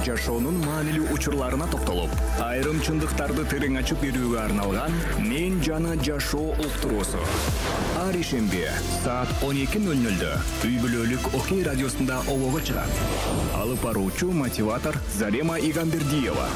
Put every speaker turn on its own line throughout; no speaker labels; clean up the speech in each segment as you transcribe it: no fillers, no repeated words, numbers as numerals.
жашоонун маанилүү учурларына токтолуп, айрым чындыктарды терең ачып берүүгө арналган «Мен жана жашоо» уктуруусу. Ар ишемби саат 12:00 үй бүлөлүк Окей радиосунда обого чыгат. Алып баруучу мотиватор Зарема Игамбердиева.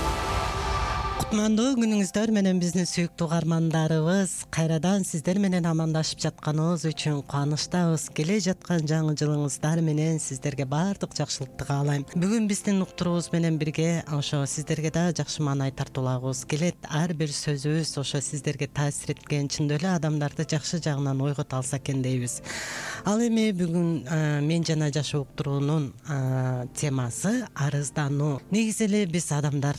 Кутмандуу күнүңүздөр менен биздин сүйүктүү угармандарыбыз. Кайрадан сиздер менен амандашып жатканыбыз үчүн кубанычтабыз. Келе жаткан жаңы жылыңыздар менен сиздерге баардык жакшылыкты каалайм. Бүгүн биздин уктуруубуз менен бирге ошо сиздерге да жакшы маанай тартуулагыбыз келет. Ар бир сөзүбүз ошо сиздерге таасир эткен, чындап эле адамдарды жакшы жагынан ойгото алса экен дейбиз. Ал эми бүгүн мен жана жашоо уктуруунун темасы арыздануу. Негизи эле биз адамдар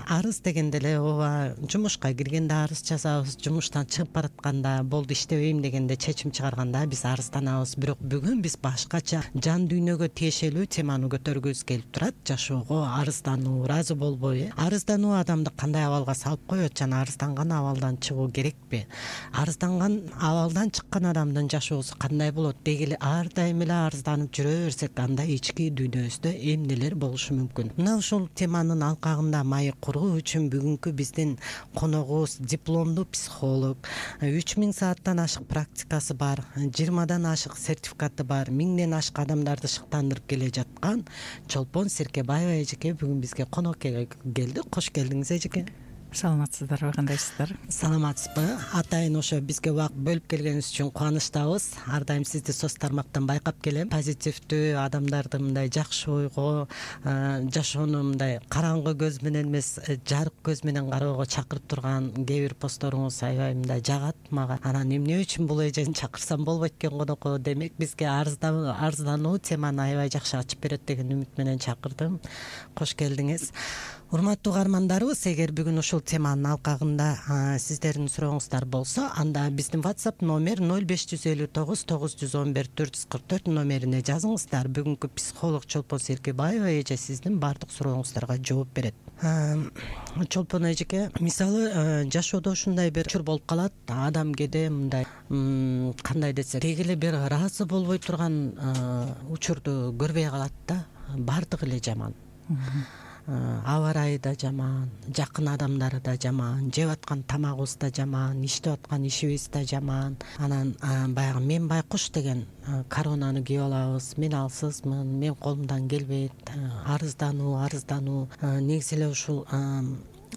арыз дегенде эле ооба жумушка киргенде арыз жазабыз, жумуштан чыгып баратканда болду иштебейм дегенде чечим чыгарганда биз арызданабыз. Бирок бүгүн биз башкача жан дүйнөгө тиешелүү теманы көтөргүбүз келип турат. Жашоого арыздануу, ыраазы болбой, арыздануу адамды кандай абалга салып коет жана арызданган абалдан чыгуу керекпи? Арызданган абалдан чыккан адамдын жашоосу кандай болот? Деги эле ар дайым эле арызданып жүрө берсек, анда ички дүйнөбүздө эмнелер болушу мүмкүн? Мына ушул теманын алкагында маек куруу үчүн бүгүнкү биздин коногубуз дипломдуу психолог, 3000 сааттан ашык практикасы бар, 20дан ашык сертификаты бар, 1000ден ашык адамдарды шыктандырып келе жаткан Чолпон Серкебаева эжеке бүгүн бизге конок келди. Кош келдиңиз эжеке.
Саламатсыздарбы, кандайсыздар?
Саламатсызбы? Атайын ошо бизге убакыт бөлүп келгениңиз үчүн кубанычтабыз. Ар дайым сизди соц тармактан байкап келем. Позитивдүү адамдарды мындай жакшы ойго, жашоону мындай караңгы көз менен эмес, жарык көз менен кароого чакырып турган кээ бир посторуңуз аябай мындай жагат мага. Анан эмне үчүн бул эжени чакырсам болбойт экен конокко? Демек бизге арыздануу теманы аябай жакшы ачып берет деген үмүт менен чакырдым. Кош келдиңиз. Урматтуу угармандарыбыз, эгер бүгүн ушул теманын алкагында сиздердин сурооңуздар болсо, анда биздин WhatsApp номер 0559 911 444 номерине жазыңыздар. Бүгүнкү психолог Чолпон Серкебаева эже сиздин баардык сурооңуздарга жооп берет. Чолпон эжеке, мисалы жашоодо ушундай бир учур болуп калат. Адам кээде мындай кандай десек, деги эле бир ыраазы болбой турган учурду көрбөй калат да. Баардыгы эле жаман. Аба ырайы да жаман, жакын адамдары да жаман, жеп аткан тамагыбыз да жаман, иштеп аткан ишибиз да жаман. Анан баягы мен байкуш деген коронаны кийип алабыз. Мен алсызмын, мен колумдан келбейт. Арыздануу. Негизи эле ушул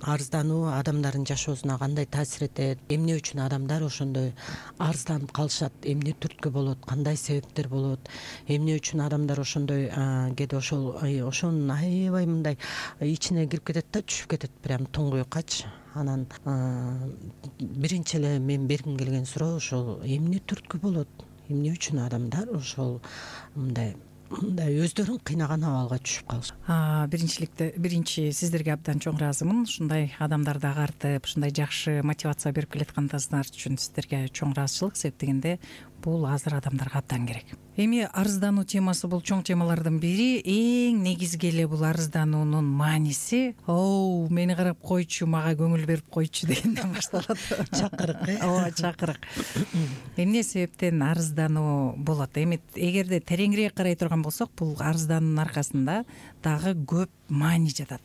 арыздануу адамдардын жашоосуна кандай таасир этет? Эмне үчүн адамдар ошондой арызданып калышат? Эмне түрткү болот? Кандай себептер болот? Эмне үчүн адамдар ошондой кээде ошонун аябай мындай ичине кирип кетет да, түшүп кетет прям туңгуюккачы. Анан биринчи эле мен бергим келген суроо ошол эмне түрткү болот? Эмне үчүн адамдар ошол мындай өздөрүн кыйнаган абалга түшүп калышат?
Биринчи сиздерге абдан чоң ыраазымын. Ушундай адамдарды агартып, ушундай жакшы мотивация берип келатканыңыздар үчүн сиздерге чоң ыраазычылык. Себеп дегенде бул азыр адамдарга абдан керек. Эми арыздануу темасы бул чоң темалардын бири. Эң негизги эле бул арыздануунун мааниси мени карап койчу, мага көңүл берип койчу дегенден башталат.
Чакырык,
ооба, чакырык. Эмне себептен арыздануу болот? Эми эгерде тереңирээк карай турган болсок, бул арыздануунун аркасында дагы көп маани жатат.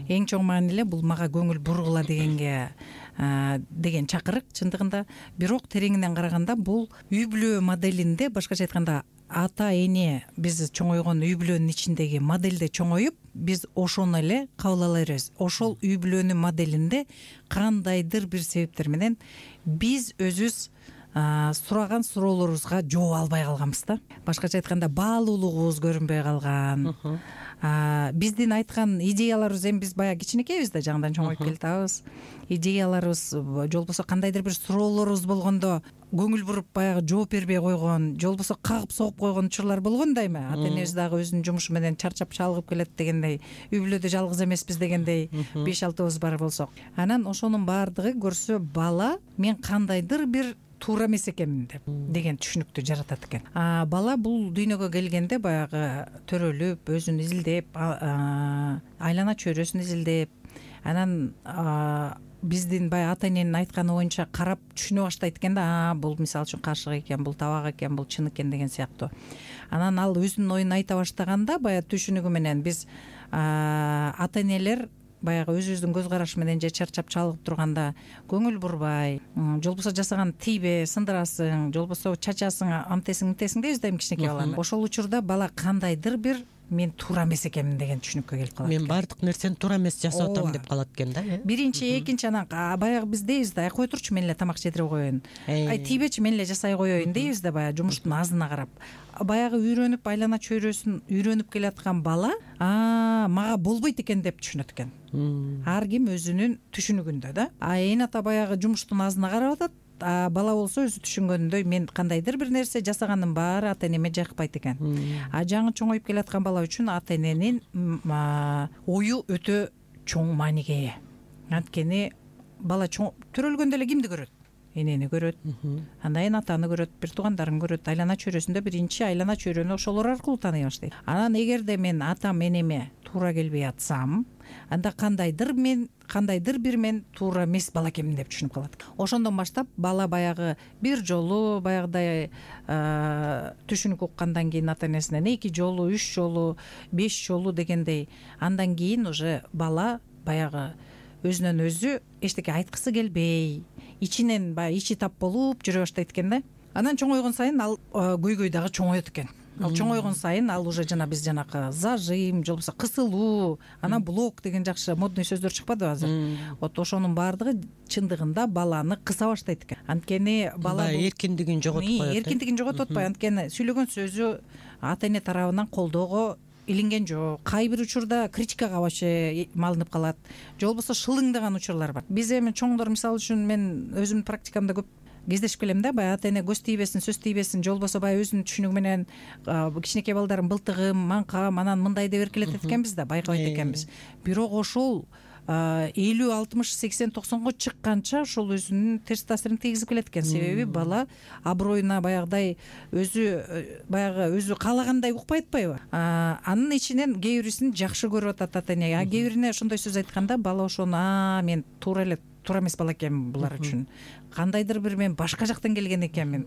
Эң чоң маани эле бул мага көңүл бургула деген чакырык чындыгында. Бирок тереңинен караганда бул үй бүлө моделинде, башкача айтканда ата эне биз чоңойгон үй бүлөнүн ичиндеги моделде чоңоюп, биз ошону эле кабыл ала беребиз. Ошол үй бүлөнүн моделинде кандайдыр бир себептер менен биз өзүбүз сураган суроолорубузга жооп албай калганбыз да. Башкача айтканда баалуулугубуз көрүнбөй калган. Биздин айткан идеяларыбыз, эми биз баягы кичинекейбиз да, жаңыдан чоңоюп келатабыз. Идеяларыбыз же болбосо кандайдыр бир суроолорубуз болгондо көңүл буруп баягы жооп бербей койгон, же болбосо кагып согуп койгон учурлар болгон да эми. Ата энебиз дагы өзүнүн жумушу менен чарчап чалгып келет дегендей, үй бүлөдө жалгыз эмеспиз дегендей 5-6 бар болсок. Анан ошонун баардыгы көрсө бала мен кандайдыр бир туура эмес экенмин деген түшүнүктү жаратат экен. Бала бул дүйнөгө келгенде баягы төрөлүп, өзүн изилдеп, айлана чөйрөсүн изилдеп, анан биздин баягы ата эненин айтканы боюнча карап түшүнө баштайт экен да, бул мисалы үчүн кашык экен, бул табак экен, бул чын экен деген сыяктуу. Анан ал өзүнүн оюн айта баштаганда баягы түшүнүгү менен биз ата энелер баягы өзүбүздүн көз карашы менен же чарчап чалыгып турганда көңүл бурбай, же болбосо жасаган тийбе, сындырасың, же болбосо чачасың, антесиң дейбиз да эми кичинекей баланы. Ошол учурда бала кандайдыр бир мен туура эмес экенмин деген түшүнүккө келип калат.
Мен баардык нерсени туура эмес жасап атам деп калат экен да.
Биринчи, экинчи, анан баягы биз дейбиз да, кой турчу мен эле тамак жедирип коеюн, тийбечи мен эле жасай коеюн дейбиз да, баягы жумуштун азына карап. Баягы үйрөнүп, айлана чөйрөсүн үйрөнүп келаткан бала мага болбойт экен деп түшүнөт экен. Ар ким өзүнүн түшүнүгүндө да. Эне ата баягы жумуштун азына карап атат, бала болсо өзү түшүнгөнүндөй мен кандайдыр бир нерсе жасаганымдын баары ата энеме жакпайт экен. Жаңы чоңоюп келаткан бала үчүн ата эненин ою өтө чоң мааниге ээ. Анткени бала төрөлгөндө эле кимди көрөт? Энени көрөт, андан кийин атаны көрөт, бир туугандарын көрөт. Айлана чөйрөсүндө биринчи айлана чөйрөнү ошолор аркылуу тааный баштайт. Анан эгерде мен атам энеме туура келбей атсам, анда кандайдыр бир мен туура эмес бала экенмин деп түшүнүп калат. Ошондон баштап бала баягы бир жолу баягыдай түшүнүк уккандан кийин ата энесинен 2 жолу, 3 жолу, 5 жолу дегендей, андан кийин уже бала баягы өзүнөн өзү эчтеке айткысы келбей, ичинен баягы ичи тап болуп жүрө баштайт экен да. Анан чоңойгон сайын ал көйгөй дагы чоңоет экен. Ал чоңойгон сайын ал уже биз жанакы зажим, же болбосо кысылуу, анан блок деген жакшы модный сөздөр чыкпадыбы азыр? Вот ошонун баардыгы чындыгында баланы кыса баштайт экен. Анткени бала
эркиндигин жоготуп коет.
Эркиндигин жоготуп атпайбы? Анткени сүйлөгөн сөзү ата эне тарабынан колдоого илинген жок. Кай бир учурда критикага вообще малынып калат, же болбосо шылыңдаган учурлар бар. Биз эми чоңдор, мисалы үчүн мен өзүмдүн практикамда көп кездешип келем да, баягы ата эне көз тийбесин, сөз тийбесин, же болбосо баягы өзүнүн түшүнүгү менен кичинекей балдарын былтыгым, маңкам, анан мындай деп эркелетет экенбиз да, байкабайт экенбиз. Бирок ошол 50, 60, 80, 90го чыкканча ошол өзүнүн терс таасирин тийгизип келет экен. Себеби бала аброюна баягыдай өзү каалагандай укпай атпайбы? Анын ичинен кээ бирисин жакшы көрүп атат ата эне. Кээ бирине ошондой сөз айтканда бала ошону мен туура эмес бала экенмин булар үчүн. Кандайдыр бир мен башка жактан келген экенмин.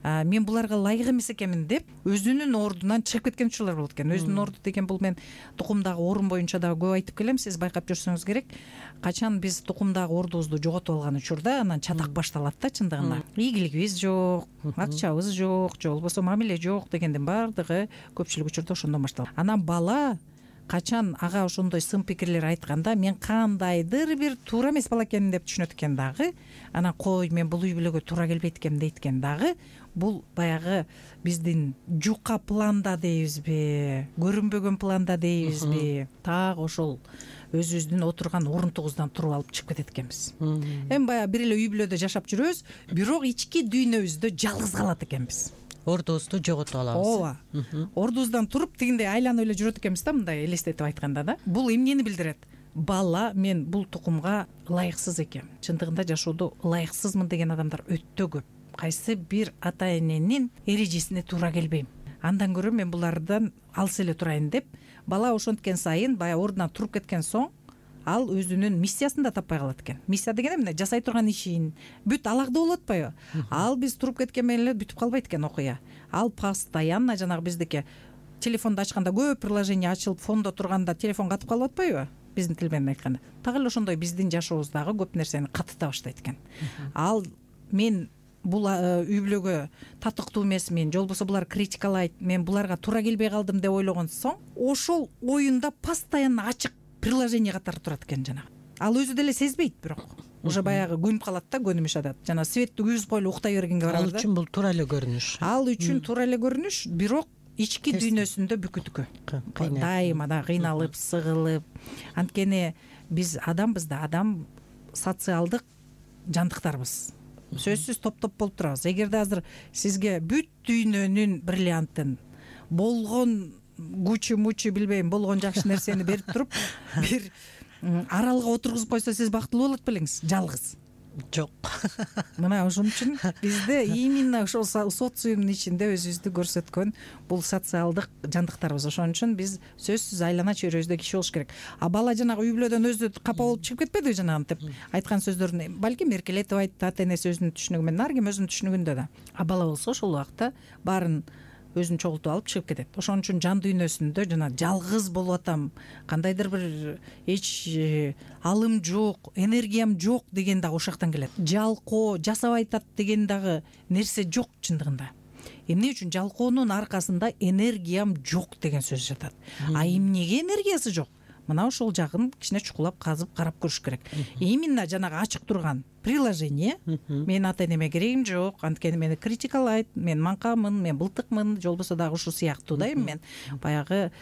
Мен буларга ылайык эмес экенмин деп өзүнүн ордунан чыгып кеткен учурлар болот экен. Өзүнүн орду деген бул мен тукумдагы орун боюнча дагы көп айтып келем. Сиз байкап жүрсөңүз керек. Качан биз тукумдагы ордубузду жоготуп алган учурда анан чатак башталат да чындыгында. Ийгилигибиз жок, акчабыз жок, же болбосо мамиле жок дегендин баардыгы көпчүлүк учурда ошондон башталат. Анан бала качан ага ошондой сын пикирлер айтканда мен кандайдыр бир туура эмес бала экенмин деп түшүнөт экен дагы. Анан кой мен бул үй бүлөгө туура келбейт экенмин дейт экен дагы. Бул баягы биздин жука планда дейбизби, көрүнбөгөн планда дейбизби, так ошол өзүбүздүн отурган орунтугубуздан туруп алып чыгып кетет экенбиз. Эми баягы бир эле үй бүлөдө жашап жүрөбүз, бирок ички дүйнөбүздө жалгыз калат экенбиз.
Ордубузду жоготуп алабыз.
Ооба. Ордубуздан туруп тигиндей айланып эле жүрөт экенбиз да, мындай элестетип айтканда да. Бул эмнени билдирет? Бала мен бул тукумга ылайыксыз экенмин. Чындыгында жашоодо ылайыксызмын деген адамдар өтө көп. Кайсы бир ата эненин эрежесине туура келбейм. Андан көрө мен булардан алыс эле турайын деп, бала ошенткен сайын баягы ордунан туруп кеткен соң ал өзүнүн миссиясын да таппай калат экен. Миссия деген эмне? Жасай турган ишин бүт алагда болуп атпайбы? Ал биз туруп кеткен менен эле бүтүп калбайт экен окуя. Ал постоянно жанагы биздики телефонду ачканда көп приложение ачылып, фондо турганда телефон катып калып атпайбы? Биздин тил менен айтканда. Так эле ошондой биздин жашообуздагы көп нерсени катыта баштайт экен. Ал мен бул үй бүлөгө татыктуу эмесмин, же болбосо булар критикалайт, мен буларга туура келбей калдым деп ойлогон соң, ошол оюнда постоянно ачык приложение катары турат экен жанагы. Ал өзү деле сезбейт, бирок уже баягы көнүп калат да, көнүм ишадат. Жана светти күйгүзүп коелу уктай бергенге барабыз да.
Ал үчүн бул туура эле көрүнүш.
Ал үчүн туура эле көрүнүш, бирок ички дүйнөсүндө бүкүткө. Дайыма да кыйналып, сыгылып. Анткени биз адамбыз да, адам социалдык жандыктарбыз. Сөзсүз топ-топ болуп турабыз. Эгерде азыр сизге бүт дүйнөнүн бриллиантын болгон гучи билбейм, болгон жакшы нерсени берип туруп, бир аралга отургузуп койсо, сиз бактылуу болот белеңиз? Жалгыз.
Жок.
Мына ошон үчүн бизде именно ошол социумдун ичинде өзүбүздү көрсөткөн бул социалдык жандыктарбыз. Ошон үчүн биз сөзсүз айлана чөйрөбүздө киши болуш керек. А бала жанагы үй бүлөдөн өзү капа болуп чыгып кетпедиби жанагынтип айткан сөздөрүн балким эркелетип айтты, ата энеси өзүнүн түшүнүгү менен, ар ким өзүнүн түшүнүгүндө да. А бала болсо ошол убакта баарын өзүн чогултуп алып чыгып кетет. Ошон үчүн жан дүйнөсүндө жана жалгыз болуп атам, кандайдыр бир эч алым жок, энергиям жок деген дагы ошоктон келет. Жалкоо, жасабай атат деген дагы нерсе жок чындыгында. Эмне үчүн? Жалкоонун аркасында энергиям жок деген сөз жатат. А эмнеге энергиясы жок? Мына ошол жагын кичине чукулап казып карап көрүш керек. Именно жанагы ачык турган приложение мен ата-энеме керегим жок, анткени мени критикалайт, мен маңкамын, мен былтыкмын, же болбосо дагы ушул сыяктуу да эми мен баягы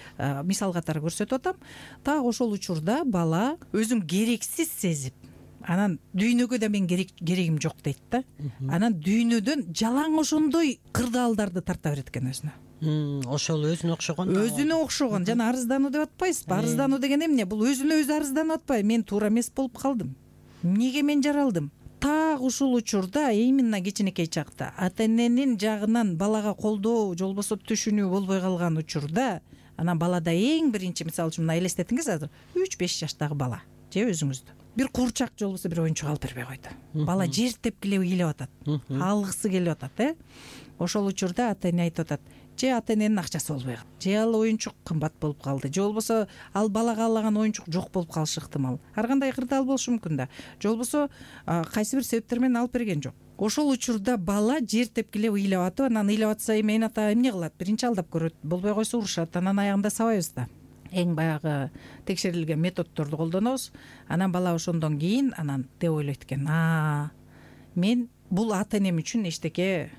мисал катары көрсөтүп атам. Так ошол учурда бала өзүн керексиз сезип, анан дүйнөгө да мен керегим жок дейт да. Анан дүйнөдөн жалаң ошондой кырдаалдарды тарта берет экен өзүнө.
Ошол
өзүнө окшогон жана арыздануу деп атпайсызбы? Арыздануу деген эмне? Бул өзүнө өзү арызданып атпайбы? Мен туура эмес болуп калдым, эмнеге мен жаралдым? Так ушул учурда именно кичинекей чакта ата-эненин жагынан балага колдоо же болбосо түшүнүү болбой калган учурда, анан балада эң биринчи, мисалы үчүн мына элестетиңиз, азыр 3-5 жаштагы бала же өзүңүздү бир курчак же болбосо бир оюнчук алып бербей койду. Бала жертеп келип атат, алгысы келип атат, Ошол учурда ата-эне айтып атат: же ата-эненин акчасы болбой калды, же ал оюнчук кымбат болуп калды, же болбосо ал бала каалаган оюнчук жок болуп калышы ыктымал. Ар кандай кырдаал болушу мүмкүн да. Же болбосо кайсы бир себептер менен алып берген жок. Ошол учурда бала жер тепкилеп ыйлап атып, анан ыйлап атса эми ата эмне кылат? Биринчи алдап көрөт, болбой койсо урушат, анан аягында сабайбыз да. Эң баягы текшерилген методдорду колдонобуз. Анан бала ошондон кийин анан деп ойлойт экен: мен бул ата-энем үчүн эчтеке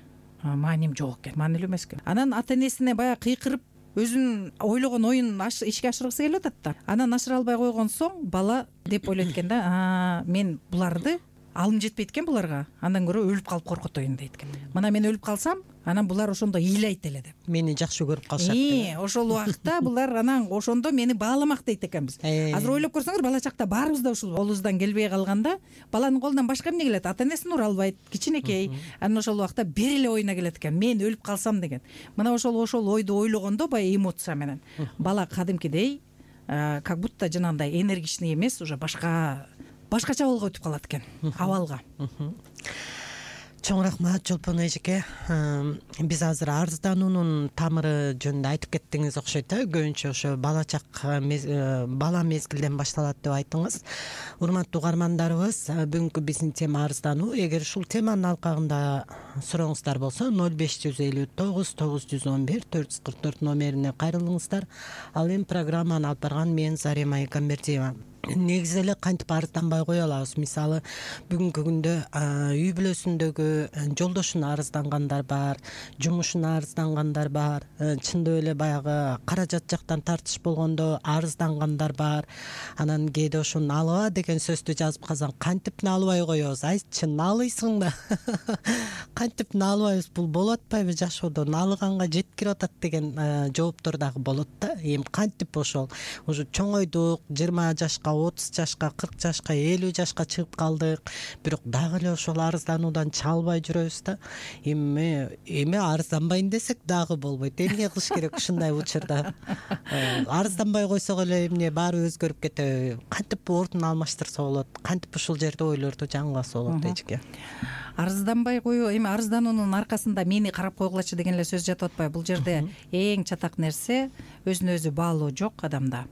мааним жок экен, маанилүү эмес экен. Анан ата-энесине баягы кыйкырып өзүнүн ойлогон оюн ишке ашыргысы келип атат да. Анан ашыра албай койгон соң бала деп ойлойт экен да: мен буларды алым жетпейт экен буларга, андан көрө өлүп калып коркотоюн дейт экен. Мына мен өлүп калсам, анан булар ошондо ыйлайт эле деп.
Мени жакшы көрүп калышат.
Ошол убакта булар анан ошондо мени бааламак дейт экенбиз. Азыр ойлоп көрсөңөр, бала чакта баарыбыз да ушул колубуздан келбей калганда, баланын колунан башка эмне келет? Ата-энесин ура албайт, кичинекей. Анан ошол убакта бир эле оюна келет экен: мен өлүп калсам деген. Мына ошол ойду ойлогондо баягы эмоция менен бала кадимкидей как будто жанагындай энергичный эмес, уже башкача абалга өтүп калат экен, абалга.
Чоң рахмат Чолпон эжеке. Биз азыр арыздануунун тамыры жөнүндө айтып кеттиңиз окшойт да. Көбүнчө ошо бала мезгилден башталат деп айттыңыз. Урматтуу угармандарыбыз, бүгүнкү биздин тема арыздануу. Эгер ушул теманын алкагында сурооңуздар болсо 0559 911 444 номерине кайрылыңыздар. Ал эми программаны алып барган мен Зарема Экамбердиева. Негизи эле кантип арызданбай кое алабыз? Мисалы, бүгүнкү күндө үй бүлөсүндөгү жолдошуна арыздангандар бар, жумушуна арыздангандар бар, чындап эле баягы каражат жактан тартыш болгондо арыздангандар бар. Анан кээде ошону алыба деген сөздү жазып калсаң, кантип наалыбай коебуз? Айтчы, наалыйсың да. Кантип наалыбайбыз? Бул болуп атпайбы жашоодо? Наалыганга жеткирип атат деген жооптор дагы болот да. Эми кантип ошол уже чоңойдук, 20 жашка, 30 жашка, 40 жашка, 50 жашка чыгып калдык, бирок дагы эле ошол арыздануудан чалбай жүрөбүз да. Эми арызданбайын десек дагы болбойт. Эмне кылыш керек ушундай учурда? Арызданбай койсок эле эмне баары өзгөрүп кетеби? Кантип ордун алмаштырса болот? Кантип ушул жерде ойлорду жаңыласа болот эжеке?
Арызданбай коюу, эми арыздануунун аркасында мени карап койгулачы деген эле сөз жатып атпайбы? Бул жерде эң чатак нерсе өзүнө өзү баалоо жок адамда.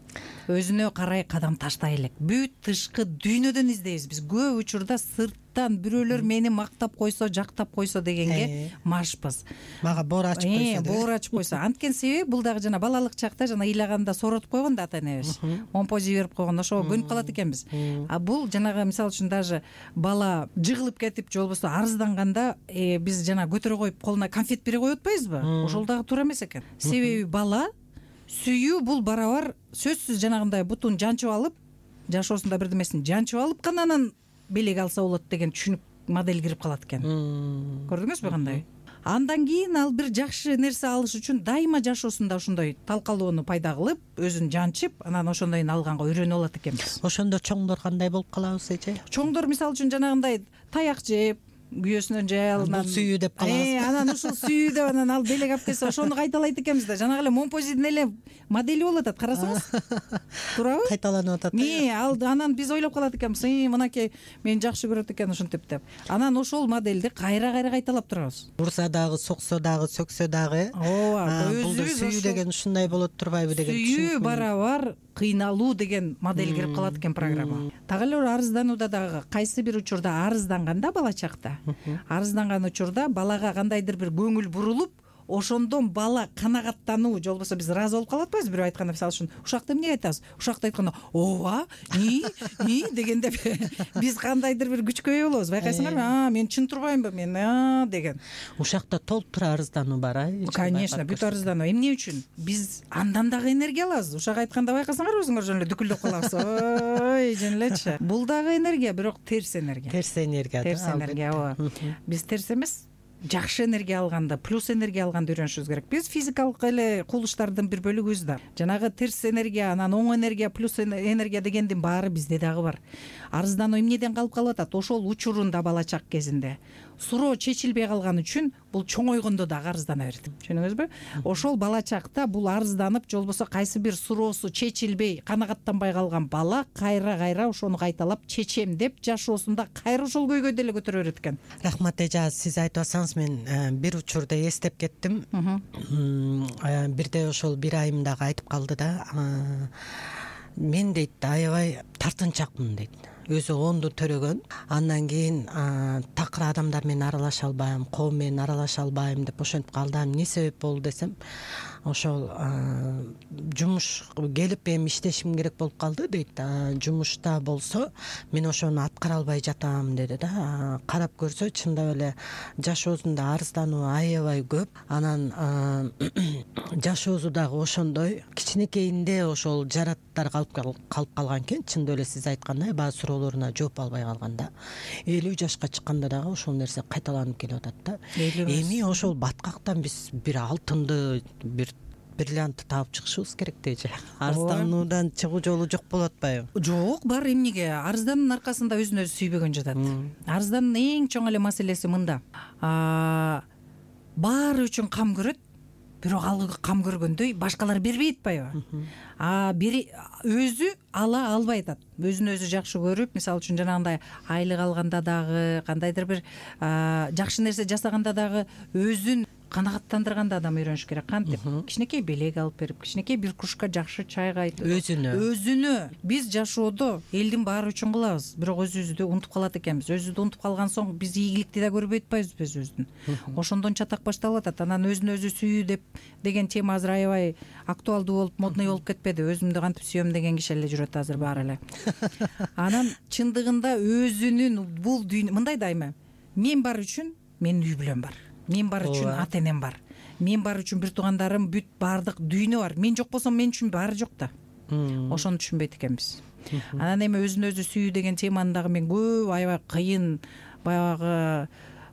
Өзүнө карай кадам таштай элек. Бүт тышкы дүйнөдөн издейбиз биз. Көп учурда сырттан бирөөлөр мени мактап койсо, жактап койсо дегенге машпыз.
Мага боор ачып койсо.
Боор ачып койсо. Анткени себеби бул дагы жана балалык чакта жана ыйлаганда сооротуп койгон да ата-энебиз. Момпози берип койгон, ошого көнүп калат экенбиз. А бул жанагы мисалы үчүн даже бала жыгылып кетип, же болбосо арызданганда биз жана көтөрө коюп колуна конфет бере коюп атпайбызбы? Ошол дагы туура эмес экен. Себеби бала сүйүү бул барабар сөзсүз жанагындай бутун жанчып алып, жашоосунда бирдемесин жанчып алып гана анан белек алса болот деген түшүнүк модель кирип калат экен. Көрдүңүзбү кандай? Андан кийин ал бир жакшы нерсе алыш үчүн дайыма жашоосунда ошондой талкалоону пайда кылып, өзүн жанчып, анан ошондойун алганга үйрөнүп алат экенбиз.
Ошондо чоңдор кандай болуп калабыз эже?
Чоңдор мисалы үчүн жанагындай таяк жеп, күйөөсүнөн жаялынан
бул сүйүү деп калабыз.
Анан ушул сүйүү деп анан ал белек алып келсе ошону кайталайт экенбиз да. Жанагы эле Момпозидин эле модели болуп атат, карасаңыз. Туурабы?
Кайталанып атат.
Ал анан биз ойлоп калат экенбиз, мынакей мени жакшы көрөт экен ушинтип деп. Анан ошол модельди кайра кайталап турабыз.
Урса дагы, соксо дагы, сөксө дагы. Бул сүйүү деген ушундай болот турбайбы деген.
Сүйүү барабар кыйналуу деген модель кирип калат экен программа. Так эле арызданууда дагы кайсы бир учурда арызданганда бала чакта, арызданган учурда балага кандайдыр бир көңүл бурулуп, ошондон бала канагаттануу же болбосо биз ыраазы болуп калып атпайбызбы бирөө айтканда, мисалы үчүн ушакты эмне айтабыз, ушакты айтканда ооба дегенде биз кандайдыр бир күчкө ээ болобуз, байкайсыңарбы, мен чын турбаймынбы мен деген.
Ушакта толтура арыздануу бар,
Конечно, бүт арыздануу. Эмне үчүн? Биз андан дагы энергия алабыз. Ушак айтканда байкасаңарбы өзүңөр жөн эле дүкүлдөп калабыз. Ой, жөн элечи. Бул дагы энергия, бирок терс энергия.
Терс энергия.
Терс энергия, ооба. Биз терс эмес, жакшы энергия алганды, плюс энергия алганды үйрөнүшүбүз керек. Биз физикалык эле кулуштардын бир бөлүгүбүз да. Жанагы терс энергия, анан оң энергия, плюс энергия дегендин баары бизде дагы бар. Арыздануу эмнеден калып атат? Ошол учурунда бала чак кезинде суроо чечилбей калган үчүн бул чоңойгондо дагы арыздана берет. Түшүнүңүзбү? Ошол бала чакта бул арызданып, же болбосо кайсы бир суроосу чечилбей, канагаттанбай калган бала кайра ошону кайталап чечем деп жашоосунда кайра ошол көйгөйдү деле көтөрө берет экен.
Рахмат эже, сиз айтып атсаңыз мен бир учурда эстеп кеттим. Бирде ошол бир айым дагы айтып калды да. Мен дейт аябай тартынчакмын дейт. Өзү онду төрөгөн, андан кийин такыр адамдар менен аралаша албайм, коом менен аралаша албайм деп ошентип калды. Эмне себеп болду десем, ошол жумуш келип эми иштешим керек болуп калды дейт. Жумушта болсо мен ошону аткара албай жатам деди да. Карап көрсө чындап эле жашоосунда арыздануу аябай көп. Анан жашоосу дагы ошондой кичинекейинде ошол жараттар калып калган экен. Чындап эле сиз айткандай баары суроолоруна жооп албай калганда 50 жашка чыкканда дагы ошол нерсе кайталанып келип атат да. Эми ошол баткактан биз бир алтынды, бир бриллиантты таап чыгышыбыз керек деже. Арыздануудан чыгуу жолу жок болуп атпайбы?
Жок, бар. Эмнеге? Арыздануунун аркасында өзүн өзү сүйбөгөн жатат. Арыздануунун эң чоң эле маселеси мында. Баары үчүн кам көрөт, бирок ал кам көргөндөй башкалар бербей атпайбы? Өзү ала албай атат. Өзүн өзү жакшы көрүп, мисалы үчүн жанагындай айлык алганда дагы, кандайдыр бир жакшы нерсе жасаганда дагы өзүн канагаттандырганда адам үйрөнүш керек. Кантип? Кичинекей белек алып берип, кичинекей бир кружка жакшы чай кайтып, өзүнө. Биз жашоодо элдин баары үчүн кылабыз, бирок өзүбүздү унутуп калат экенбиз. Өзүбүздү унутуп калган соң биз ийгиликти да көрбөй атпайбызбы өзүбүздүн? Ошондон чатак башталып атат. Анан өзүн өзү сүйүү деген тема азыр аябай актуалдуу болуп, модный болуп кетпеди? Өзүмдү кантип сүйөм деген киши эле жүрөт азыр баары эле. Анан чындыгында өзүнүн бул дүйнө мындай дайыма. Мен бар үчүн менин үй бүлөм бар. Мен бар үчүн ата энем бар. Мен бар үчүн бир туугандарым, бүт баардык дүйнө бар. Мен жок болсом мен үчүн баары жок да. Ошону түшүнбөйт экенбиз. Анан эми өзүн өзү сүйүү деген теманы дагы мен көп аябай кыйын баягы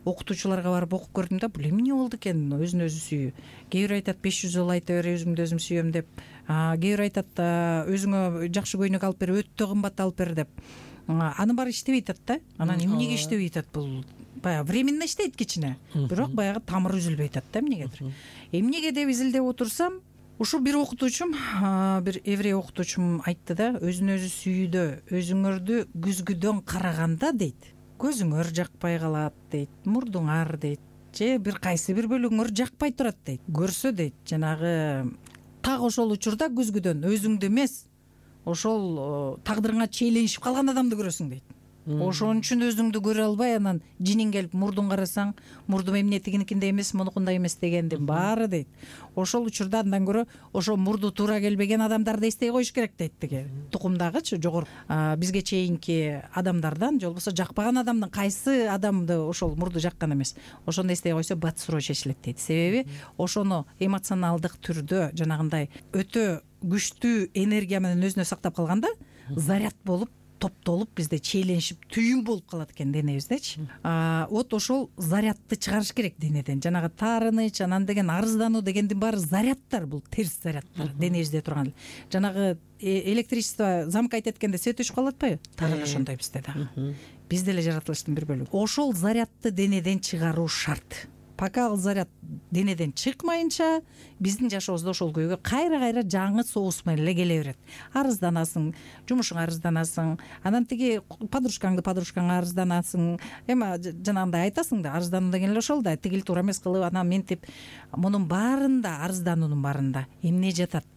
окутуучуларга барып окуп көрдүм да. Бул эмне болду экен өзүн өзү сүйүү? Кээ бир айтат 500 жолу айта бер өзүмдү өзүм сүйөм деп. Кээ бир айтат өзүңө жакшы көйнөк алып бер, өтө кымбат алып бер деп. Аны баары иштебей атат да. Анан эмнеге иштебей атат бул? Баягы временно иштейт кичине, бирок баягы тамыры үзүлбөй атат да эмнегедир. Эмнеге деп изилдеп отурсам, ушу бир окутуучум, бир еврей окутуучум айтты да, өзүн өзү сүйүүдө өзүңөрдү күзгүдөн караганда дейт, көзүңөр жакпай калат дейт, мурдуңар дейт, же бир кайсы бир бөлүгүңөр жакпай турат дейт. Көрсө дейт, жанагы так ошол учурда күзгүдөн өзүңдү эмес, ошол тагдырыңа чейленишип калган адамды көрөсүң дейт. Ошон үчүн өзүңдү көрө албай анан жинин келип мурдуң карасаң, мурдум эмне тигиникиндей эмес, мунукундай эмес дегендин баары дейт. Ошол учурда андан көрө ошо мурду туура келбеген адамдарды эстей коюш керек дейт деге. Тукумдагычы жогору бизге чейинки адамдардан, же болбосо жакпаган адамдын кайсы адамды ошол мурду жаккан эмес. Ошону эстей койсо бат суроо чечилет дейт. Себеби ошону эмоционалдык түрдө жанагындай өтө күчтүү энергия менен өзүнө сактап калганда заряд болуп топтолуп бизде чейленишип түйүн болуп калат экен денебиздечи. Вот ошол зарядты чыгарыш керек денеден. Жанагы таарыныч, анан деген арыздануу дегендин баары зарядтар, бул терс зарядтар денебизде турган. Жанагы электричество замкать эткенде свет өчүп калып атпайбы? Так эле ошондой бизде дагы. биз деле жаратылыштын бир бөлүгү. Ошол зарядты денеден чыгаруу шарт. Пока ал заряд денеден чыкмайынча биздин жашообузда ошол күйгө кайра жаңы соус менен эле келе берет. Арызданасың, жумушуңа арызданасың, анан тиги подружкаңа арызданасың. Эми жанагындай айтасың да, арыздануу деген эле ошол да, тигил туура эмес кылып, анан ментип. Мунун баарында, арыздануунун баарында эмне жатат?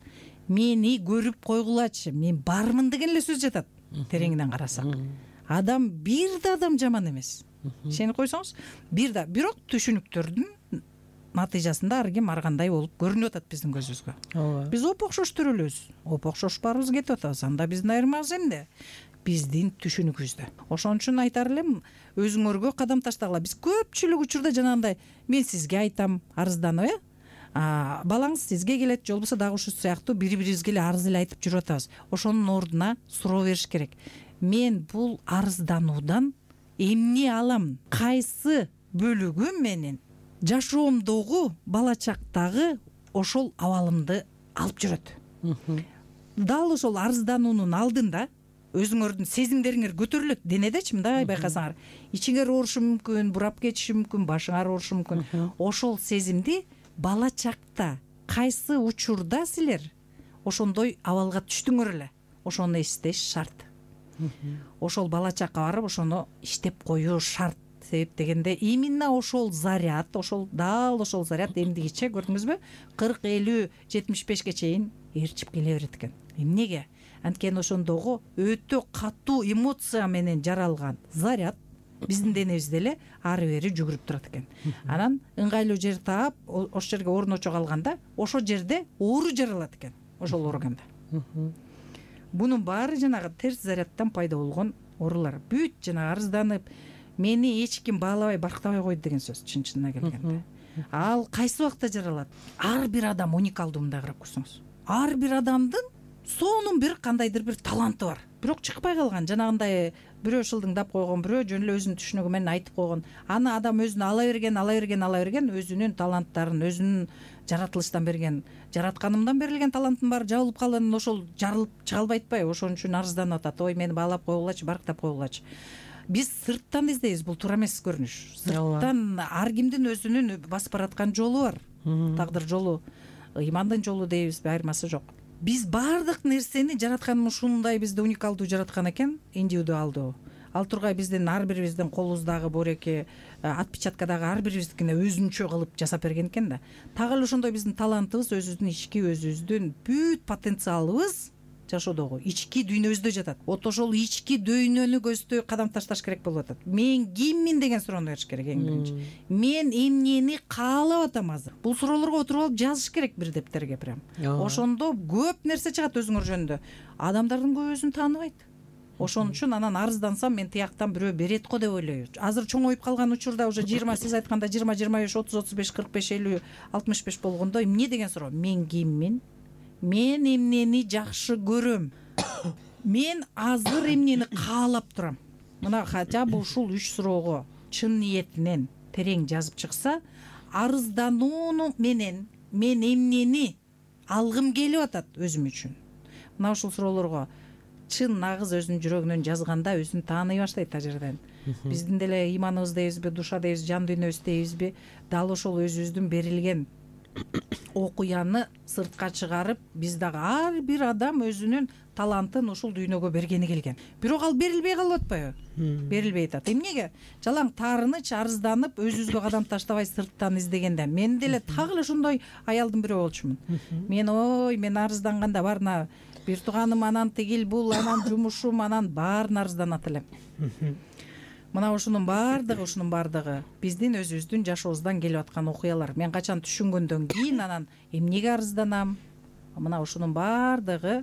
Мени көрүп койгулачы, мен бармын деген эле сөз жатат. Тереңинен карасак, адам бир да адам жаман эмес. Ишенип койсоңуз, бирок түшүнүктөрдүн натыйжасында ар ким ар кандай болуп көрүнүп атат биздин көзүбүзгө. Биз оп-окшош төрөлөбүз, оп-окшош баарыбыз кетип атабыз. Анда биздин айырмабыз эмне? Биздин түшүнүгүбүздө. Ошон үчүн айтар элем, өзүңөргө кадам таштагыла. Биз көпчүлүк учурда жанагындай, мен сизге айтам, арызданып, балаңыз сизге келет, же болбосо дагы ушул сыяктуу бири-бирибизге эле арыз эле айтып жүрүп атабыз. Ошонун ордуна суроо бериш керек. Мен бул арыздануудан эмне алам? Кайсы бөлүгү менен жашоомдогу бала чактагы ошол абалымды алып жүрөт? Дал ошол арыздануунун алдында өзүңөрдүн сезимдериңер көтөрүлөт. Денедечи мындай байкасаңар, ичиңер оорушу мүмкүн, бурап кетиши мүмкүн, башыңар оорушу мүмкүн. Ошол сезимди бала чакта кайсы учурда силер ошондой абалга түштүңөр эле, ошону эстеш шарт. Ошол бала чакка барып ошону иштеп коюу шарт. Себеп дегенде именно ошол заряд, дал ошол заряд эмдигиче, көрдүңүзбү, 40, 50, 75ге чейин ээрчип келе берет экен. Эмнеге? Анткени ошондогу өтө катуу эмоция менен жаралган заряд биздин денебизде эле ары бери жүгүрүп турат экен. Анан ыңгайлуу жер таап, ошол жерге орночо калганда, ошол жерде оору жаралат экен, ошол органда. Бунун баары жанагы терс зарядтан пайда болгон оорулар. Бүт жанагы арызданып, мени эч ким баалабай, барктабай койду деген сөз, чын-чынына келгенде. Ал кайсы убакта жаралат? Ар бир адам уникалдуу, мындай карап көрсөңүз. Ар бир адамдын сонун бир кандайдыр бир таланты бар. Бирок чыкпай калган, жанагындай бирөө шылдыңдап койгон, бирөө жөн эле өзүнүн түшүнүгү менен айтып койгон. Аны адам өзүнө ала берген, өзүнүн таланттарын, өзүнүн жаратылыштан берген, жаратканымдан берилген талантын баары жабылып калган, ошол жарылып чыга албай атпайбы? Ошон үчүн арызданып атат. Ой, мени баалап койгулачы, барктап койгулачы. Биз сырттан издейбиз, бул туура эмес көрүнүш. Сырттан ар кимдин өзүнүн басып бараткан жолу бар. Тагдыр жолу, ыймандын жолу дейбизби, айырмасы жок. Биз баардык нерсени жараткан ушундай бизди уникалдуу жараткан экен, индивидуалдуу. Ал тургай биздин ар бирибиздин колубуздагы бореки, отпечаткадагы ар бирибиздикине өзүнчө кылып жасап берген экен да. Так эле ошондой биздин талантыбыз, өзүбүздүн бүт потенциалыбыз жашоодогу ички дүйнөбүздө жатат. Вот ошол ички дүйнөнү көздөй кадам ташташ керек болуп атат. Мен киммин деген суроону бериш керек эң биринчи. Мен эмнени каалап атам азыр? Бул суроолорго отуруп алып жазыш керек бир дептерге прям. Ошондо көп нерсе чыгат өзүңөр жөнүндө. Адамдардын көбү өзүн тааныбайт. Ошон үчүн анан арыздансам, мен тияктан бирөө берет го деп ойлойбу. Азыр чоңоюп калган учурда уже 20, сиз айтканда 20, 25, 30, 35, 45, 50, 65 болгондо эмне деген суроо? Мен киммин? Мен эмнени жакшы көрөм? Мен азыр эмнени каалап турам? Мына хотя бы ушул 3 суроого чын ниетинен терең жазып чыкса, арызданууну менен мен эмнени алгым келип атат өзүм үчүн? Мына ушул суроолорго чын нагыз өзүнүн жүрөгүнөн жазганда өзүн тааный баштайт ал жерден. Биздин деле ыйманыбыз дейбизби, душа дейбизби, жан дүйнөбүз дейбизби, дал ошол өзүбүздүн берилген окуяны сыртка чыгарып, биз дагы ар бир адам өзүнүн талантын ушул дүйнөгө бергени келген. Бирок ал берилбей калып атпайбы? Берилбей атат. Эмнеге? Жалаң таарыныч, арызданып, өзүбүзгө кадам таштабай сырттан издегенде. Мен деле так эле ошондой аялдын бирөө болчумун. Мен арызданганда барына бир тууганым, анан тигил бул, анан жумушум, анан баарын арызданат элем. Мына ушунун баардыгы биздин өзүбүздүн жашообуздан келип аткан окуялар. Мен качан түшүнгөндөн кийин анан эмнеге арызданам? Мына ушунун баардыгы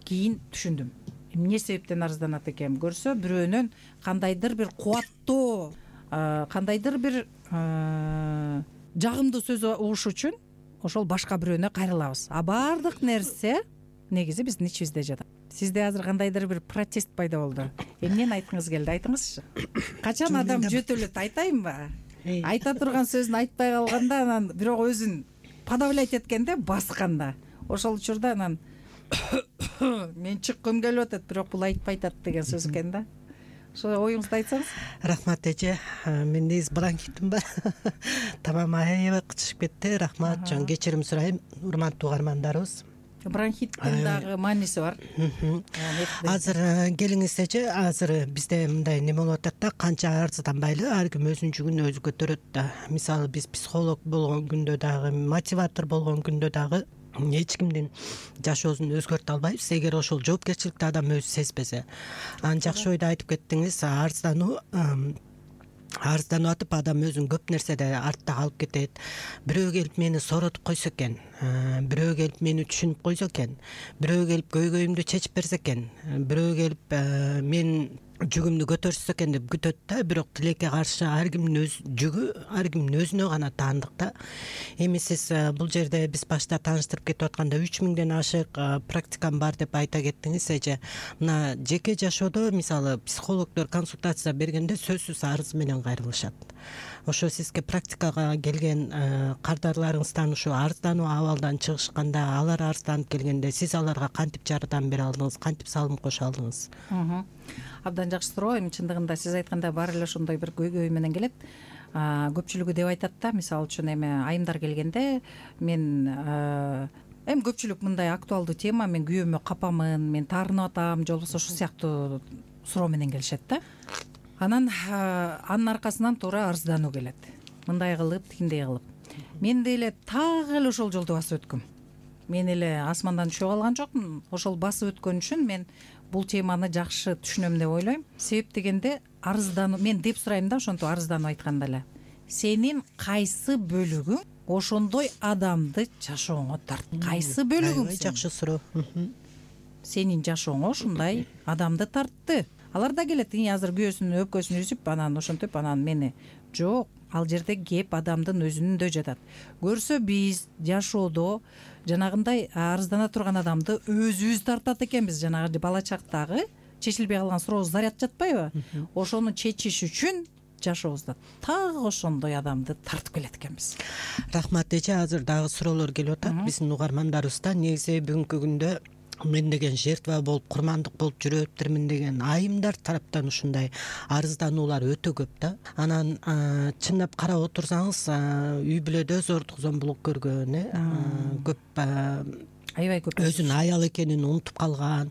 кийин түшүндүм. Эмне себептен арызданат экен? Көрсө, бирөөнөн кандайдыр бир кубаттоо, кандайдыр бир жагымдуу сөз угуш үчүн ошол башка бирөөнө кайрылабыз. А баардык нерсе негизи биздин ичибизде жатат. Сизде азыр кандайдыр бир протест пайда болду. Эмнени айткыңыз келди? Айтыңызчы. Качан адам жөтөлөт, айтайынбы? Айта турган сөзүн айтпай калганда, анан бирок өзүн подавлять эткенде, басканда, ошол учурда анан мен чыккым келип атат, бирок бул айтпай атат деген сөз экен да. ошо оюңузду айтсаңыз.
Рахмат эже, мен негизи бронхитим бар. Тамам аябай кычышып кетти. Рахмат, жөн кечирим сурайм, урматтуу угармандарыбыз.
Бронхиттин дагы мааниси бар.
Азыр келиңиз эже, азыр бизде мындай неме болуп атат да, канча арызданбайлы, ар ким өзүнүн жүгүн өзү көтөрөт да. Мисалы биз психолог болгон күндө дагы, мотиватор болгон күндө дагы эч кимдин жашоосун өзгөртө албайбыз, эгер ошол жоопкерчиликти адам өзү сезбесе. Жакшы ойду айтып кеттиңиз. Арызданып атып адам өзүн көп нерседе артта калып кетет. Бирөө келип мени сооротуп койсо экен, бирөө келип мени түшүнүп койсо экен, бирөө келип көйгөйүмдү чечип берсе экен, бирөө келип мен жүгүмдү көтөрсө экен деп күтөт да. Бирок тилекке каршы ар кимдин өз жүгү ар кимдин өзүнө гана таандык да. Эми сиз бул жерде биз башта тааныштырып кетип атканда 3000ден ашык практикам бар деп айта кеттиңиз эже. Мына жеке жашоодо мисалы психологдор консультация бергенде сөзсүз арыз менен кайрылышат. Ошо сизге практикага келген кардарларыңыздан ушу арыздануу абалдан чыгышканда, алар арызданып келгенде сиз аларга кантип жардам бере алдыңыз, кантип салым кошо алдыңыз?
Абдан жакшы суроо. Эми чындыгында сиз айткандай баары эле ошондой бир көйгөй менен келет. Көпчүлүгү деп айтат да, мисалы үчүн эми айымдар келгенде мен эми көпчүлүк мындай актуалдуу тема, мен күйөөмө капамын, мен таарынып атам, же болбосо ушул сыяктуу суроо менен келишет да. Анан анын аркасынан туура арыздануу келет. Мындай кылып, тигиндей кылып. Мен деле так эле ошол жолду басып өткөм. Мен эле асмандан түшүп алган жокмун. Ошол басып өткөн үчүн мен бул теманы жакшы түшүнөм деп ойлойм. Себеп дегенде арыздануу, мен деп сурайм да, ошентип арызданып айтканда эле. Сенин кайсы бөлүгүң ошондой адамды жашооңо тартты? Кайсы бөлүгүң?
Жакшы суроо.
Сенин жашооңо ушундай адамды тартты. Алар да келет, азыр күйөөсүнүн өпкөсүн үзүп, анан ошентип, анан мени. Жок, ал жерде кеп адамдын өзүндө жатат. Көрсө биз жашоодо жанагындай арыздана турган адамды өзүбүз тартат экенбиз. Жанагы бала чактагы чечилбей калган суроо заряд жатпайбы? Ошону чечиш үчүн жашообузда так ошондой адамды тартып келет экенбиз.
Рахмат эже, азыр дагы суроолор келип атат биздин угармандарыбыздан. Негизи бүгүнкү күндө мен деген жертва болуп, курмандык болуп жүрөптүрмүн деген айымдар тараптан ушундай арыздануулар өтө көп да. Анан чындап карап отурсаңыз, үй бүлөдө зордук зомбулук көргөн, көп
аябай көп
өзүнүн аял экенин унутуп калган,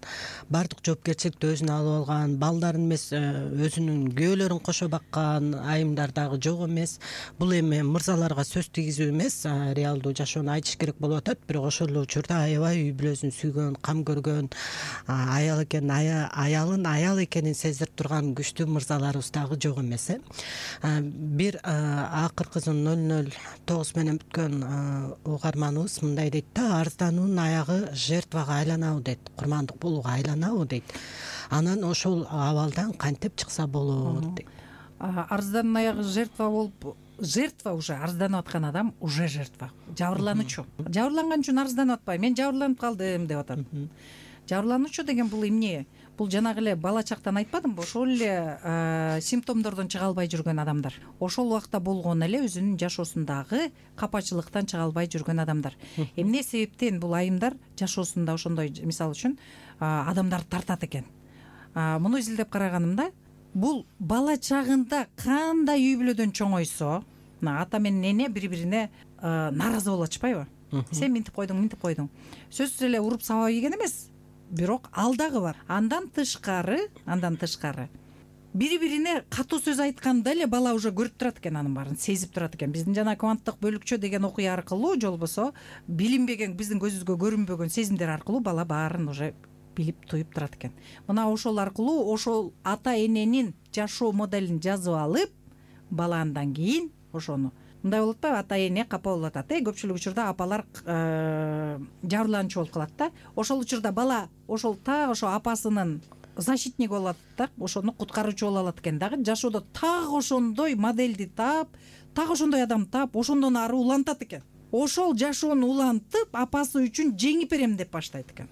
баардык жоопкерчиликти өзүнө алып алган, балдарын эмес өзүнүн күйөөлөрүн кошо баккан айымдар дагы жок эмес. Бул эми мырзаларга сөз тийгизүү эмес, реалдуу жашоону айтыш керек болуп атат. Бирок ошол эле учурда аябай үй бүлөсүн сүйгөн, кам көргөн, аял экенин, аялын аял экенин сездирип турган күчтүү мырзаларыбыз дагы жок эмес. Бир акыркысын 009 менен бүткөн угарманыбыз мындай дейт да, арыздануунун аягы жертвага айланабы дейт, курмандык болууга айланабы дейт. Анан ошол абалдан кантип чыкса болот дейт.
Арыздануунун аягы жертва болуп, жертва уже арызданып аткан адам уже жертва, жабырлануучу. Жабырланган үчүн арызданып атпайбы, мен жабырланып калдым деп атат. Жабырлануучу деген бул эмне? Бул жанагы эле бала чактан айтпадымбы? Ошол эле симптомдордон чыга албай жүргөн адамдар. Ошол убакта болгон эле өзүнүн жашоосундагы капачылыктан чыга албай жүргөн адамдар. Эмне себептен бул айымдар жашоосунда ошондой, мисалы үчүн, адамдарды тартат экен? Муну изилдеп караганымда, бул бала чагында кандай үй бүлөдөн чоңойсо, ата менен эне бири-бирине нааразы болуп атышпайбы? Сен минтип койдуң. Сөзсүз эле уруп сабап ийген эмес. Бирок ал дагы бар. Андан тышкары бири-бирине катуу сөз айтканда эле бала уже көрүп турат экен, анын баарын сезип турат экен. Биздин жана кванттык бөлүкчө деген окуя аркылуу, же болбосо билинбеген, биздин көзүбүзгө көрүнбөгөн сезимдер аркылуу бала баарын уже билип туюп турат экен. Мына ошол аркылуу ошол ата эненин жашоо моделин жазып алып, бала андан кийин ошону мындай болот атпайбы, ата эне капа болуп атат. Көпчүлүк учурда апалар жабырлануучу болуп калат да. Ошол учурда бала ошол так ошо апасынын защитниги болуп атат да, ошону куткаруучу болуп алат экен дагы. Жашоодо так ошондой модельди таап, так ошондой адамды таап, ошондон ары улантат экен. Ошол жашоону улантып, апасы үчүн жеңип берем деп баштайт экен.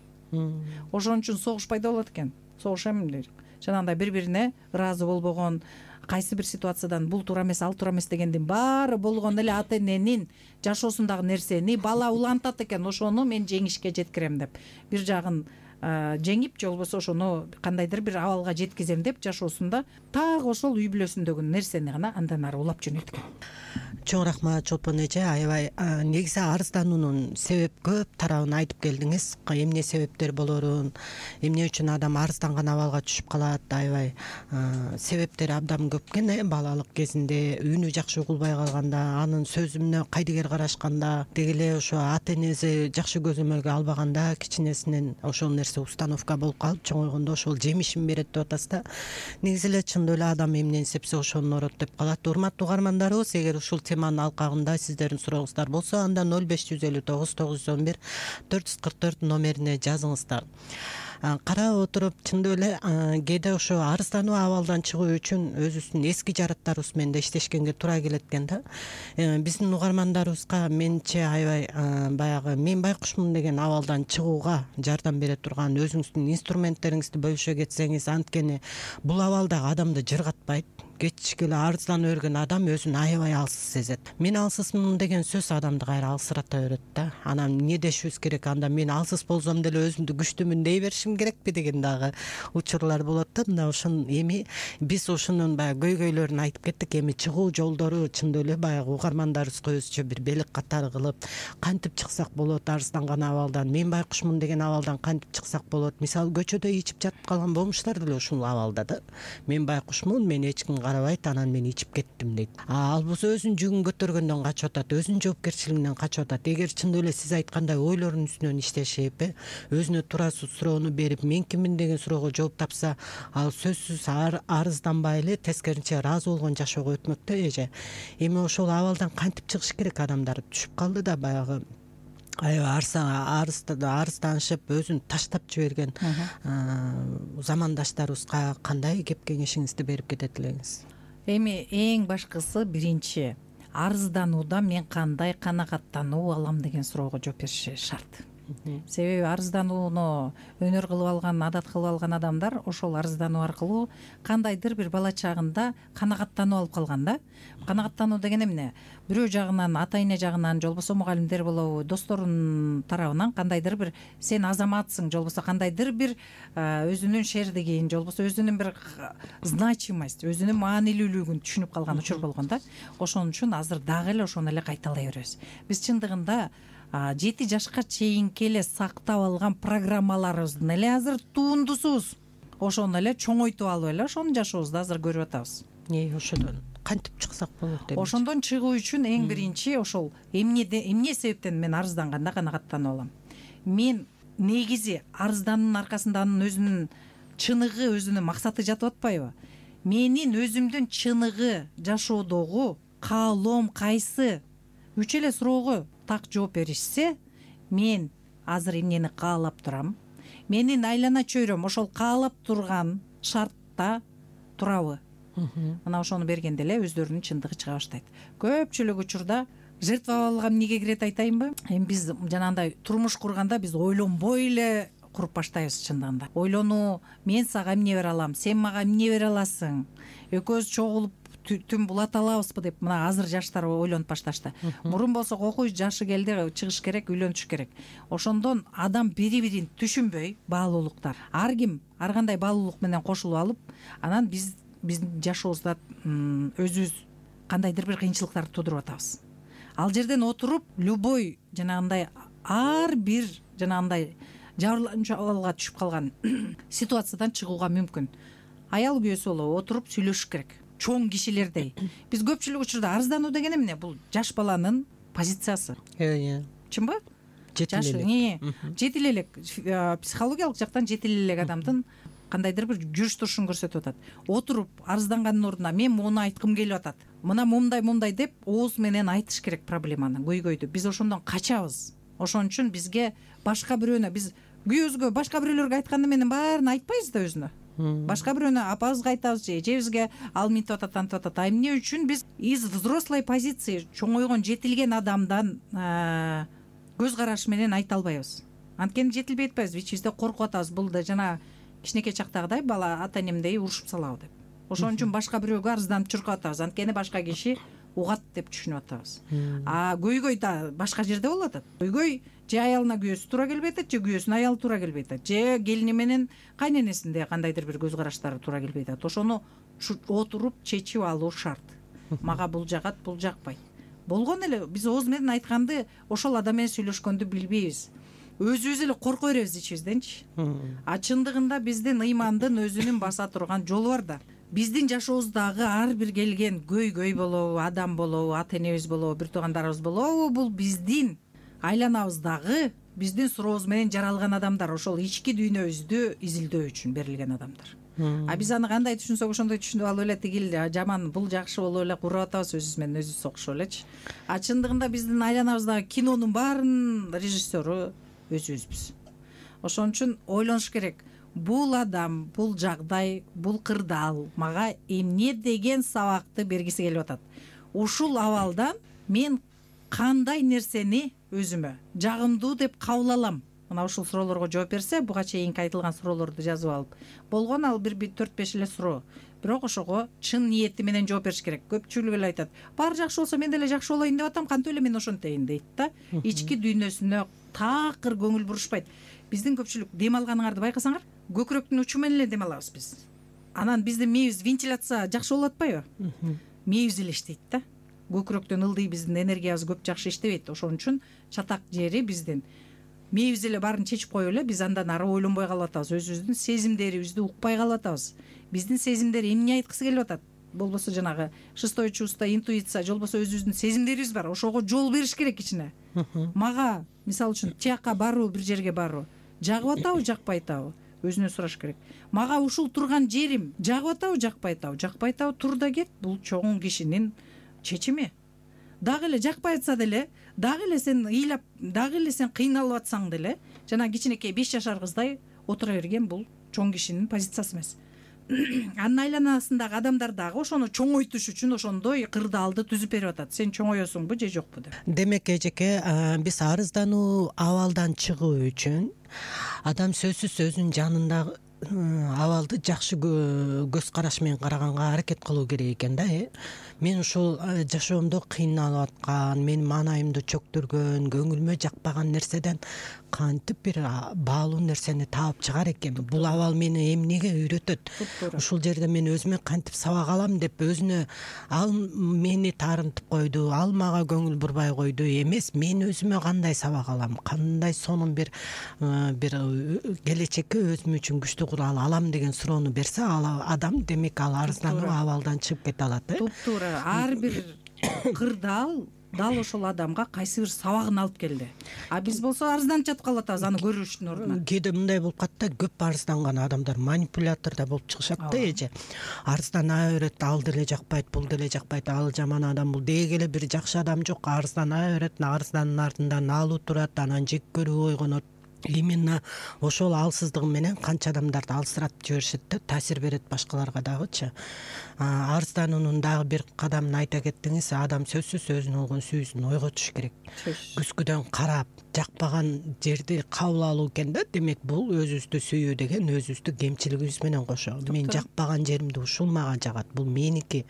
Ошон үчүн согуш пайда болот экен. Согуш эми жанагындай бири-бирине ыраазы болбогон, кайсы бир ситуациядан бул туура эмес, ал туура эмес дегендин баары болгон эле ата эненин жашоосундагы нерсени бала улантат экен. Ошону мен жеңишке жеткирем деп. Бир жагын жеңип же болбосо ошону кандайдыр бир абалга жеткизем деп жашоосунда так ошол үй бүлөсүндөгү нерсени гана андан ары улап жөнөйт экен.
Чоң рахмат Чолпон эже. Аябай негизи арыздануунун себеп көп тарабын айтып келдиңиз. Эмне себептер болорун, эмне үчүн адам арызданган абалга түшүп калат, аябай себептери абдан көп экен. Балалык кезинде үнү жакшы угулбай калганда, анын сөзүнө кайдыгер карашканда, деги эле ошо ата энеси жакшы көзөмөлгө албаганда кичинесинен ошол нерсе установка болуп калып, чоңойгондо ошол жемишин берет деп атасыз да. Негизи эле чындап эле адам эмнени сепсе ошону орот деп калат. Урматтуу угармандарыбыз, эгер ушул теманын алкагында сиздердин сурооңуздар болсо, анда 0559 911 444 номерине жазыңыздар. Карап отуруп, чындап эле кээде ошо арыздануу абалдан чыгуу үчүн өзүбүздүн эски жараттарыбыз менен да иштешкенге туура келет экен да. Биздин угармандарыбызга менче аябай баягы мен байкушмун деген абалдан чыгууга жардам бере турган өзүңүздүн инструменттериңизди бөлүшө кетсеңиз, анткени бул абал дагы адамды жыргатпайт. Кечке эле арызданып өргөн адам өзүн аябай алсыз сезет. Мен алсызмын деген сөз адамды кайра алсырата берет да. Анан эмне дешибиз керек? Анда мен алсыз болсом деле өзүмдү күчтүүмүн дей беришим керекпи деген дагы учурлар болот да. Мына ошон эми биз ушунун баягы көйгөйлөрүн айтып кеттик. Эми чыгуу жолдору чындап эле баягы угармандарыбызга өзүчө бир белек катары кылып, кантип чыксак болот арызданган абалдан, мен байкушмун деген абалдан кантип чыксак болот? Мисалы көчөдө ичип жатып калган болмуштар деле ушул абалда да. Мен байкушмун, мен эч ким карабайт, анан мен ичип кеттим дейт. Ал болсо өзүнүн жүгүн көтөргөндөн качып атат, өзүнүн жоопкерчилигинен качып атат. Эгер чындап эле сиз айткандай ойлорунун үстүнөн иштешип, өзүнө туурасыз суроону берип, мен киммин деген суроого жооп тапса, ал сөзсүз арызданбай эле тескерисинче ыраазы болгон жашоого өтмөк да эже. Эми ошол абалдан кантип чыгыш керек? Адамдар түшүп калды да баягы аябай арызданышып өзүн таштап жиберген замандаштарыбызга кандай кеп кеңешиңизди берип кетет элеңиз?
Эми эң башкысы биринчи арызданууда мен кандай канагаттануу алам деген суроого жооп бериши шарт. Себеби арызданууну өнөр кылып алган, адат кылып алган адамдар ошол арыздануу аркылуу кандайдыр бир бала чагында канагаттануу алып калган да. Канагаттануу деген эмне? Бирөө жагынан, ата эне жагынан, же болбосо мугалимдер болобу, досторунун тарабынан кандайдыр бир сен азаматсың, же болбосо кандайдыр бир өзүнүн шердигин, же болбосо өзүнүн бир значимость, өзүнүн маанилүүлүгүн түшүнүп калган учур болгон да. Ошон үчүн азыр дагы эле ошону эле кайталай беребиз. Биз чындыгында 7 жашка чейинки эле сактап алган программаларыбыздын эле азыр тундусубуз. Ошону эле чоңойтуп алып эле ошону жашообузда азыр көрүп атабыз.
Ошодон кантип чыксак болот деп?
Ошондон чыгуу үчүн эң биринчи ошол эмне себептен мен арызданганда канагаттанып алам. Мен негизи арыздануунун аркасында анын өзүнүн чыныгы, өзүнүн максаты жатып атпайбы? Менин өзүмдүн чыныгы жашоодогу каалоом кайсы? 3 эле суроого так жооп беришсе, мен азыр эмнени каалап турам? Менин айлана чөйрөм ошол каалап турган шартта турабы? Мына ошону бергенде эле өздөрүнүн чындыгы чыга баштайт. Көпчүлүк учурда жертва алган эмнеге кирет айтайынбы? Эми биз жанагындай турмуш курганда биз ойлонбой эле куруп баштайбыз чындыгында. Ойлонуу, мен сага эмне бере алам, сен мага эмне бере аласың? Экөөбүз чогулуп түн булата алабызбы деп мына азыр жаштар ойлонуп башташты. Мурун болсо окуй жашы келди, чыгыш керек, үйлөнүш керек. Ошондон адам бири-бирин түшүнбөй, баалуулуктар. Ар ким ар кандай баалуулук менен кошулуп алып, анан биздин жашообузда өзүбүз кандайдыр бир кыйынчылыктарды туудуруп атабыз. Ал жерден отуруп, любой жанагындай ар бир жанагындай жабырланчу абалга түшүп калган ситуациядан чыгууга мүмкүн. Аял күйөөсү болобу, отуруп сүйлөшүш керек. Чоң кишилердей. Биз көпчүлүк учурда арыздануу деген эмне? Бул жаш баланын позициясы. Чынбы? Жетил элек психологиялык жактан жетил элек адамдын кандайдыр бир жүрүш турушун көрсөтүп атат. Отуруп арызданганын ордуна мен муну айткым келип атат. Мына мындай деп ооз менен айтыш керек проблеманы, көйгөйдү. Биз ошондон качабыз. Ошон үчүн бизге башка бирөөнө биз күйөөбүзгө башка бирөөлөргө айтканды менен баарын айтпайбыз да өзүнө. Башка бирөөнө апабызга айтабыз же эжебизге ал минтип атат, антип атат. А эмне үчүн биз из взрослой позиции, чоңойгон, жетилген адамдан көз караш менен айта албайбыз. Анткени жетилбей атпайбыз, ичибизде коркуп атабыз. Бул да жана кичинекей чактагыдай бала ата энемдей урушуп салабы деп. Ошон үчүн башка бирөөгө арызданып чуркап атабыз. Анткени башка киши угат деп түшүнүп атабыз. А көйгөй да башка жерде болуп атат. Көйгөй же аялына күйөөсү туура келбей атат, же күйөөсүнүн аялы туура келбей атат, же келини менен кайненесинде кандайдыр бир көз караштары туура келбей атат. Ошону отуруп чечип алуу шарт. Мага бул жагат, бул жакпайт. Болгон эле биз ооз менен айтканды, ошол адам менен сүйлөшкөндү билбейбиз. Өзүбүз эле корко беребиз ичибизденчи. А чындыгында биздин ыймандын өзүнүн баса турган жолу бар да. Биздин жашообуздагы ар бир келген көйгөй болобу, адам болобу, ата энебиз болобу, бир туугандарыбыз болобу, бул биздин айланабыздагы биздин сурообуз менен жаралган адамдар, ошол ички дүйнөбүздү изилдөө үчүн берилген адамдар. А биз аны кандай түшүнсөк ошондой түшүнүп алып эле тигил жаман, бул жакшы болуп эле куруп атабыз өзүбүз менен өзүбүз согушуп элечи. А чындыгында биздин айланабыздагы кинонун баарынын режиссеру өзүбүзбүз. Ошон үчүн ойлонуш керек. Бул адам, бул жагдай, бул кырдаал мага эмне деген сабакты бергиси келип атат. Ушул абалдан мен кандай нерсени өзүмө жагымдуу деп кабыл алам? Мына ушул суроолорго жооп берсе, буга чейинки айтылган суроолорду жазып алып. Болгон ал 4-5 эле суроо. Бирок ошого чын ниети менен жооп бериш керек. Көпчүлүк эле айтат: баары жакшы болсо мен деле жакшы болоюн деп атам, кантип эле мен ошентейин дейт да. Ички дүйнөсүнө такыр көңүл бурушпайт. Биздин көпчүлүк дем алганыңарды байкасаңар, көкүрөктүн учу менен эле дем алабыз биз. Анан биздин мээбиз вентиляция жакшы болуп атпайбы? Мээбиз эле иштейт да. Көкүрөктөн ылдый биздин энергиябыз көп жакшы иштебейт. Ошон үчүн чатак жери биздин мээбиз эле баарын чечип коюп эле биз андан ары ойлонбой калып атабыз. Өзүбүздүн сезимдерибизди укпай калып атабыз. Биздин сезимдер эмне айткысы келип атат? Болбосо жанагы шестое чувство, интуиция, же болбосо өзүбүздүн сезимдерибиз бар. Ошого жол бериш керек ичине. Мага, мисалы үчүн, тияка баруу, бир жерге баруу жагып атабы, жакпай атабы? Өзүнөн сураш керек. Мага ушул турган жерим жагып атабы, жакпай атабы? Жакпай атабы, тур да кет. Бул чоң кишинин чечими. Дагы эле жакпай атса деле, дагы эле сен ыйлап, дагы эле сен кыйналып атсаң деле, жана кичинекей 5 жашар кыздай отура берген бул чоң кишинин позициясы эмес. Анын айланасындагы адамдар дагы ошону чоңойтуш үчүн ошондой кырдаалды түзүп берип атат. Сен чоңоесуңбу же жокпу деп.
Демек эжеке, биз арыздануу абалдан чыгуу үчүн адам сөзсүз өзүнүн жанындагы абалды жакшы көз караш менен караганга аракет кылуу керек экен да. Мен ушул жашоомдо кыйналып аткан, менин маанайымды чөктүргөн, көңүлүмө жакпаган нерседен кантип бир баалуу нерсени таап чыгар экен? Бул абал мени эмнеге үйрөтөт? Ушул жерде мен өзүмө кантип сабак алам деп өзүнө, ал мени таарынтып койду, ал мага көңүл бурбай койду эмес, мен өзүмө кандай сабак алам, кандай сонун бир келечекке өзүм үчүн күчтүү курал алам деген суроону берсе, ал адам демек ал арыздануу абалдан чыгып кете алат.
Туптуура. Ар бир кырдаал дал ошол адамга кайсы бир сабагын алып келди. А биз болсо арызданып жатып калып атабыз аны көрүштүн ордуна.
Кээде мындай болуп калат да, көп арызданган адамдар манипулятор да болуп чыгышат да эже. Арыздана берет, ал деле жакпайт, бул деле жакпайт, ал жаман адам, бул деги эле бир жакшы адам жок. Арыздана берет, арызданын артынан алуу турат, анан жек көрүү ойгонот. Именно ошол алсыздыгы менен канча адамдарды алсыратып жиберишет да, таасир берет башкаларга дагычы. Арыздануунун дагы бир кадамын айта кеттиңиз. Адам сөзсүз өзүнүн болгон сүйүүсүн ойготуш керек. Күзгүдөн карап, жакпаган жерди кабыл алуу экен да. Демек бул өзүбүздү сүйүү деген өзүбүздүн кемчилигибиз менен кошо. Мен жакпаган жеримди ушул мага жагат, бул меники,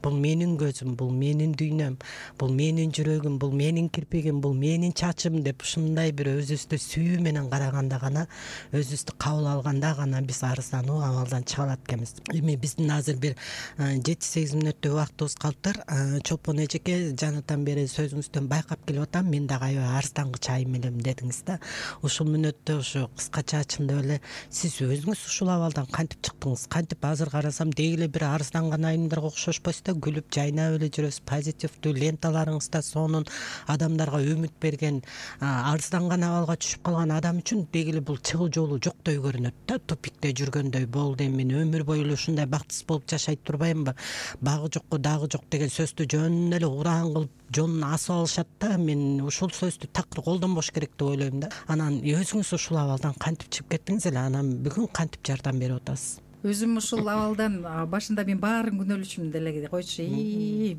бул менин көзүм, бул менин дүйнөм, бул менин жүрөгүм, бул менин кирпигим, бул менин чачым деп ушундай бир өзүбүздү сүйүү менен караганда гана, өзүбүздү кабыл алганда гана биз арыздануу абалдан чыга алат экенбиз. Эми биздин азыр бир 7-8 мүнөттөй убактыбыз калыптыр. Чолпон эжеке, жанатан бери сөзүңүздөн байкап келип атам, мен дагы аябай арыздангыч айым элем дедиңиз да. Ушул мүнөттө ушу кыскача ачымдап эле сиз өзүңүз ушул абалдан кантип чыктыңыз? Кантип азыр карасам деги эле бир арызданган айымдарга окшошпойсуз да, күлүп жайнап эле жүрөсүз, позитивдүү ленталарыңызда сонун адамдарга үмүт берген, арызданган абалга түшүп калган адам үчүн деги эле бул чыгуу жолу жоктой көрүнөт да. Тупикте жүргөндөй болду, эми мен өмүр бою эле ушундай бактысыз болуп жашайт турбаймынбы? Багы жокко дагы жок деген сөздү жөн эле ураан кылып жонун асып алышат да. Мен ушул сөздү такыр колдонбош керек деп ойлойм да. Анан өзүңүз ушул абалдан кантип чыгып кеттиңиз эле? Анан бүгүн кантип жардам берип атасыз?
Өзүм ушул абалдан башында мен баарын күнөөлөшүм деле койчу.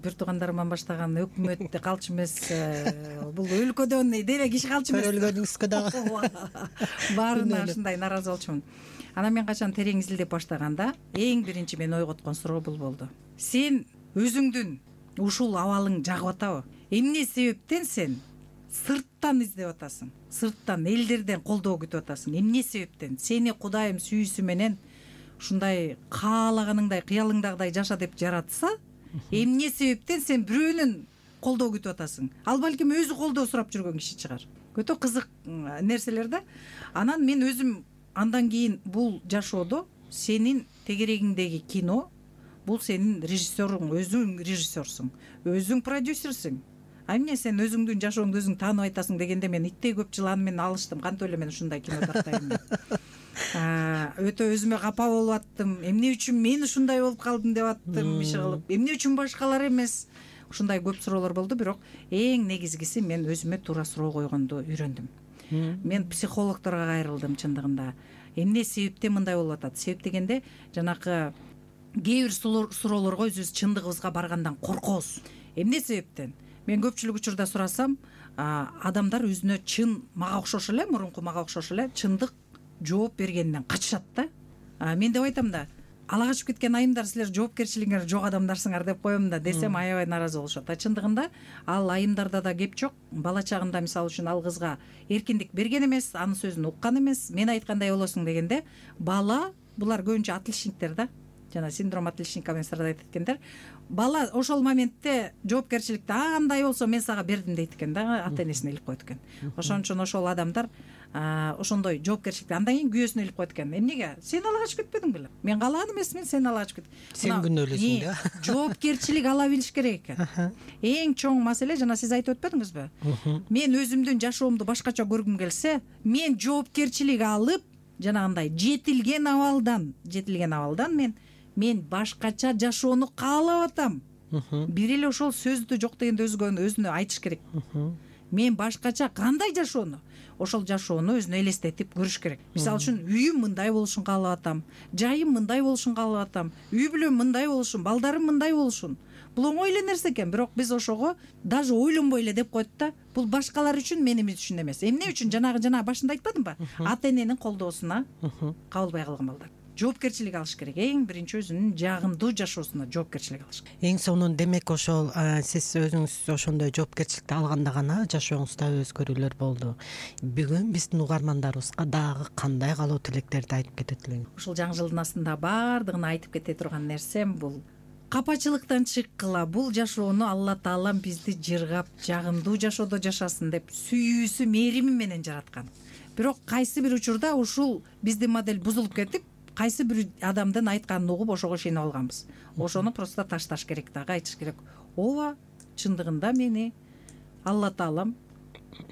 Бир туугандарыман баштаган өкмөттө калчу эмес, бул өлкөдөн деле киши калчу эмес.
Көрөлгөнүңүзгө дагы
баарына ушундай нааразы болчумун. Анан мен качан терең изилдеп баштаганда эң биринчи мени ойготкон суроо бул болду. Сен өзүңдүн ушул абалың жагып атабы? Эмне себептен сен сырттан издеп атасың, сырттан элдерден колдоо күтүп атасың. Эмне себептен? Сени Кудайым сүйүүсү менен ушундай каалаганыңдай, кыялыңдагыдай жаша деп жаратса, эмне себептен сен бирөөнүн колдоо күтүп атасың? Ал балким өзү колдоо сурап жүргөн киши чыгар. Өтө кызык нерселер да. Анан мен өзүм андан кийин бул жашоодо сенин тегерегиңдеги кино, бул сенин режиссерың, өзүң режиссерсуң, өзүң продюсерсиң. Эмне сен өзүңдүн жашооңду өзүң таанып айтасың дегенде мен иттей көп жылан менен алыштым. Кантип эле мен ушундай кино тартайм деп. Өтө өзүмө капа болуп аттым. Эмне үчүн мен ушундай болуп калдым деп аттым, иши кылып. Эмне үчүн башкалар эмес? Ушундай көп суроолор болду, бирок эң негизгиси мен өзүмө туура суроо койгонду үйрөндүм. Мен психологторго кайрылдым чындыгында. Эмне себептен мындай болуп атат? Себеп дегенде жанакы кээ бир суроолорго өзүбүз чындыгыбызга баргандан коркобуз. Эмне себептен? Мен көпчүлүк учурда сурасам, адамдар өзүнө чын мага окшош эле, мурунку мага окшош эле чындык жооп бергенден качышат да. Мен деп айтам да, ала качып кеткен айымдар, силер жоопкерчилигиңер жок адамдарсыңар деп коем да, десем аябай нааразы болушат. Чындыгында ал айымдарда да кеп жок. Бала чагында мисалы үчүн ал кызга эркиндик берген эмес, анын сөзүн уккан эмес. Мен айткандай болосуң дегенде, бала, булар көбүнчө отличниктер да. Жана синдром отличника менен страдать эткендер. Бала ошол моментте жоопкерчиликти андай болсо мен сага бердим дейт экен да, ата энесине илип койт экен. Ошон үчүн ошол адамдар ошондой жоопкерчиликти андан кийин күйөөсүнө илип койт экен. Эмнеге? Сен ала качып кетпедиң беле? Мен каалаган эмесмин, сен ала качып кет.
Сен күнөөлөсүң да.
Жоопкерчилик ала билиш керек экен. Эң чоң маселе, жана сиз айтып өтпөдүңүзбү? Мен өзүмдүн жашоомду башкача көргүм келсе, мен жоопкерчилик алып, жанагындай жетилген абалдан мен башкача жашоону каалап атам. Бир эле ошол сөздү жок дегенде өзүнө айтыш керек. Мен башкача кандай жашоону? Ошол жашоону өзүнө элестетип көрүш керек. Мисалы үчүн үйүм мындай болушун каалап атам, жайым мындай болушун каалап атам, үй бүлөм мындай болушун, балдарым мындай болушун. Бул оңой эле нерсе экен, бирок биз ошого даже ойлонбой эле деп коет да. Бул башкалар үчүн, менин үчүн эмес. Эмне үчүн? Жана башында айтпадымбы? Ата эненин колдоосуна кабылбай калган балдар. Жоопкерчилик алыш керек. Эң биринчи өзүнүн жагымдуу жашоосуна жоопкерчилик алыш керек.
Эң сонун демек ошол сиз өзүңүз ошондой жоопкерчиликти алганда гана жашооңузда өзгөрүүлөр болду. Бүгүн биздин угармандарыбызга дагы кандай каалоо тилектерди айтып кетет элең?
Ушул жаңы жылдын астында баардыгына айтып кете турган нерсем бул: капачылыктан чыккыла, бул жашоону Алла Таалам бизди жыргап, жагымдуу жашоодо жашасын деп сүйүүсү, мээрими менен жараткан. Бирок кайсы бир учурда ушул биздин модель бузулуп кетип, кайсы бир адамдын айтканын угуп ошого ишенип алганбыз. Ошону просто ташташ керек дагы, айтыш керек. Ооба, чындыгында мени Алла Таалам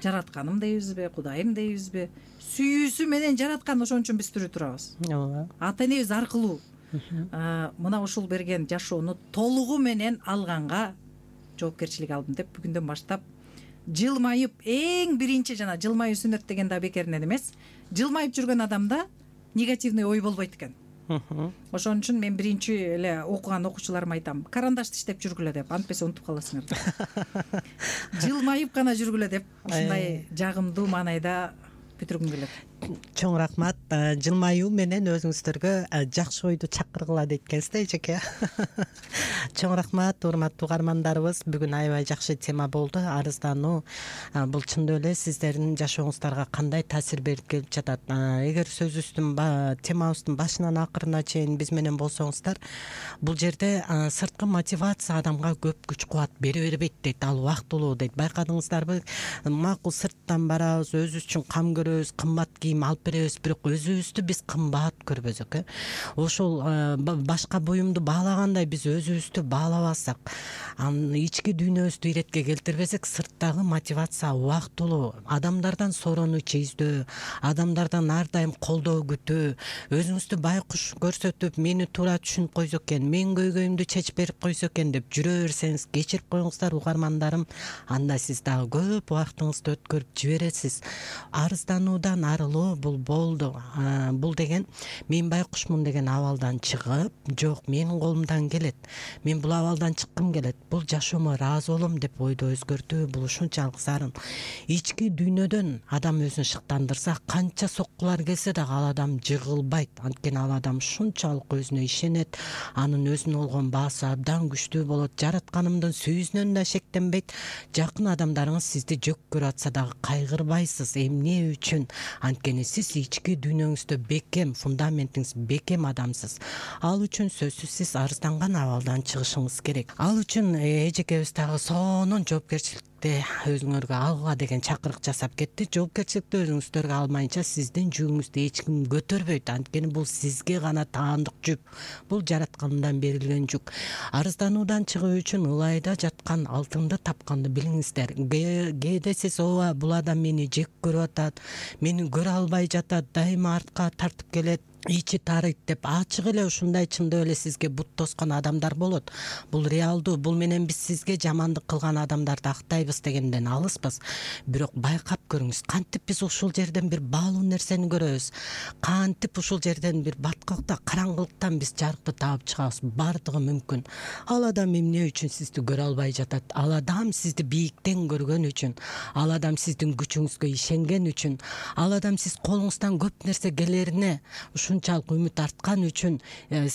жаратканым дейбизби, Кудайым дейбизби, сүйүүсү менен жараткан, ошон үчүн биз тирүү турабыз.
Ооба.
Ата энебиз аркылуу мына ушул берген жашоону толугу менен алганга жоопкерчилик алдым деп бүгүндөн баштап жылмайып, эң биринчи жана жылмаюу сүннөт деген да бекеринен эмес, жылмайып жүргөн адамда негативный ой болбойт экен. Ошон үчүн мен биринчи эле окуган окуучуларыма айтам: карандашты иштеп жүргүлө деп, антпесе унутуп каласыңар. Жылмайып гана жүргүлө деп, ушундай жагымдуу маанайда бүтүргүм келет.
Чоң рахмат. Жылмаюу менен өзүңүздөргө жакшы ойду чакыргыла дейт экенсиз да, эжеке. Чоң рахмат, урматтуу угармандарыбыз. Бүгүн аябай жакшы тема болду. Арыздануу бул чындап эле сиздердин жашооңуздарга кандай таасир берип келип жатат? Эгер сөзүбүздүн темабыздын башынан акырына чейин биз менен болсоңуздар, бул жерде сырткы мотивация адамга көп күч кубат бере бербейт дейт, ал убактылуу дейт. Байкадыңыздарбы? Макул сырттан барабыз, өзүбүз үчүн кам көрөбүз, кымбат алып беребиз, бирок өзүбүздү биз кымбат көрбөсөк, ошол башка буюмду баалагандай биз өзүбүздү баалабасак, анын ички дүйнөбүздү иретке келтирбесек, сырттагы мотивация убактылуу, адамдардан сооронуч издөө, адамдардан ар дайым колдоо күтүү, өзүңүздү байкуш көрсөтүп, мени туура түшүнүп койсо экен, менин көйгөйүмдү чечип берип койсо экен деп жүрө берсеңиз, кечирип коюңуздар угармандарым, анда сиз дагы көп убактыңызды өткөрүп жибересиз. Арыздануудан арылуу болду, бул болду. Бул деген мен байкушмун деген абалдан чыгып, жок, менин колумдан келет, мен бул абалдан чыккым келет, бул жашоомо ыраазы болом деп ойду өзгөртүү, бул ушунчалык зарыл. Ички дүйнөдөн адам өзүн шыктандырса, канча соккулар келсе дагы ал адам жыгылбайт. Анткени ал адам ушунчалык өзүнө ишенет, анын өзүнө болгон баасы абдан күчтүү болот. Жаратканымдын сүйүүсүнөн да шектенбейт. Жакын адамдарыңыз сизди жөк көрүп атса дагы кайгырбайсыз. Эмне үчүн? Анткени сиз ички дүйнөңүздө бекем, фундаментиңиз бекем адамсыз. Ал үчүн сөзсүз сиз арызданган абалдан чыгышыңыз керек. Ал үчүн эжекебиз дагы сонун жоопкерчиликти өзүңөргө алга деген чакырык жасап кетти. Жоопкерчиликти өзүңүздөргө алмайынча сиздин жүгүңүздү эч ким көтөрбөйт. Анткени бул сизге гана таандык жүк. Бул жараткандан берилген жүк. Арыздануудан чыгуу үчүн ылайда жаткан алтынды тапканды билиңиздер. Кээде сиз ооба бул адам мени жек көрүп атат, мени көрө албай жатат, дайыма артка тартып келет, ичи тарыйт деп ачык эле ушундай чындап эле сизге бут тоскон адамдар болот. Бул реалдуу. Бул менен биз сизге жамандык кылган адамдарды актайбыз дегенден алыспыз. Бирок байкап көрүңүз, кантип биз ушул жерден бир баалуу нерсени көрөбүз, кантип ушул жерден бир баткакта, караңгылыктан биз жарыкты таап чыгабыз. Бардыгы мүмкүн. Ал адам эмне үчүн сизди көрө албай жатат? Ал адам сизди бийиктен көргөн үчүн, ал адам сиздин күчүңүзгө ишенген үчүн, ал адам сиз колуңуздан көп нерсе келерине ушунчалык үмүт арткан үчүн,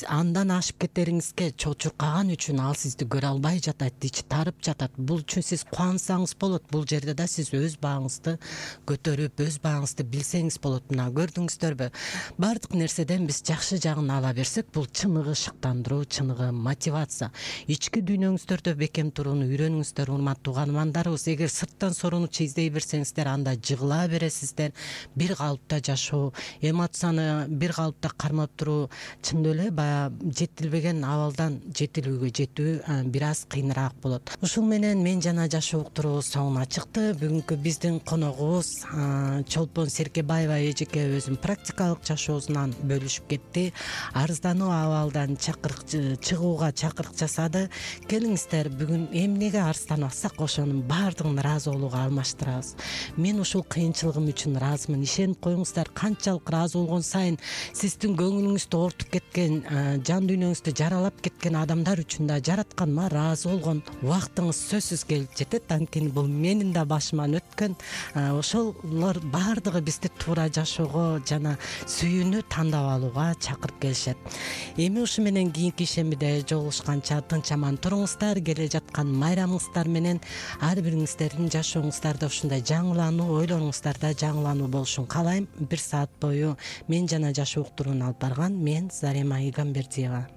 андан ашып кетериңизге чочуркаган үчүн ал сизди көрө албай жатат, ичи тарып жатат. Бул үчүн сиз кубансаңыз болот. Бул жерде да сиз өз бааңызды көтөрүп, өз бааңызды билсеңиз болот. Мына көрдүңүздөрбү? Бардык нерседен биз жакшы жагын ала берсек, бул чыныгы шыктандыруу, чыныгы мотивация. Ички дүйнөңүздөрдө бекем турууну үйрөнүңүздөр, урматтуу каармандарыбыз. Эгер сырттан сорунучу издей берсеңиздер, анда жыгыла бересиздер. Бир калыпта жашоо, эмоцияны бир калыпта кармап туруу, чындап эле баягы жетилбеген абалдан жетилүүгө жетүү бир аз кыйыныраак болот. Ушул менен мен жана жашоо уктуруубуз соңуна чыкты. Бүгүнкү биздин коногубуз Чолпон Серкебаева эжекебиздин практикалык жашоосунан бөлүшүп кетти. Арыздануу абалдан чыгууга чакырык жасады. Келиңиздер, бүгүн эмнеге арызданып атсак, ошонун баардыгын ыраазы болууга алмаштырабыз. Мен ушул кыйынчылыгым үчүн ыраазымын. Ишенип коюңуздар, канчалык ыраазы болгон сайын сиздин көңүлүңүздү оортуп кеткен, жан дүйнөңүздү жаралап кеткен адамдар үчүн да жаратканыма ыраазы болгон убактыңыз сөзсүз келип жетет. Анткени бул менин да башыман өткөн. Ошолор баардыгы бизди туура жашоого жана сүйүүнү тандап алууга чакырып келишет. Эми ушу менен кийинки ишембиде жолугушканча тынч аман туруңуздар. Келе жаткан майрамыңыздар менен ар бириңиздердин жашооңуздарда ушундай жаңылануу, ойлоруңуздарда жаңылануу болушун каалайм. 1 саат бою мен жана жашоо уктурууну алып барган мен Зарема Игамбердиева.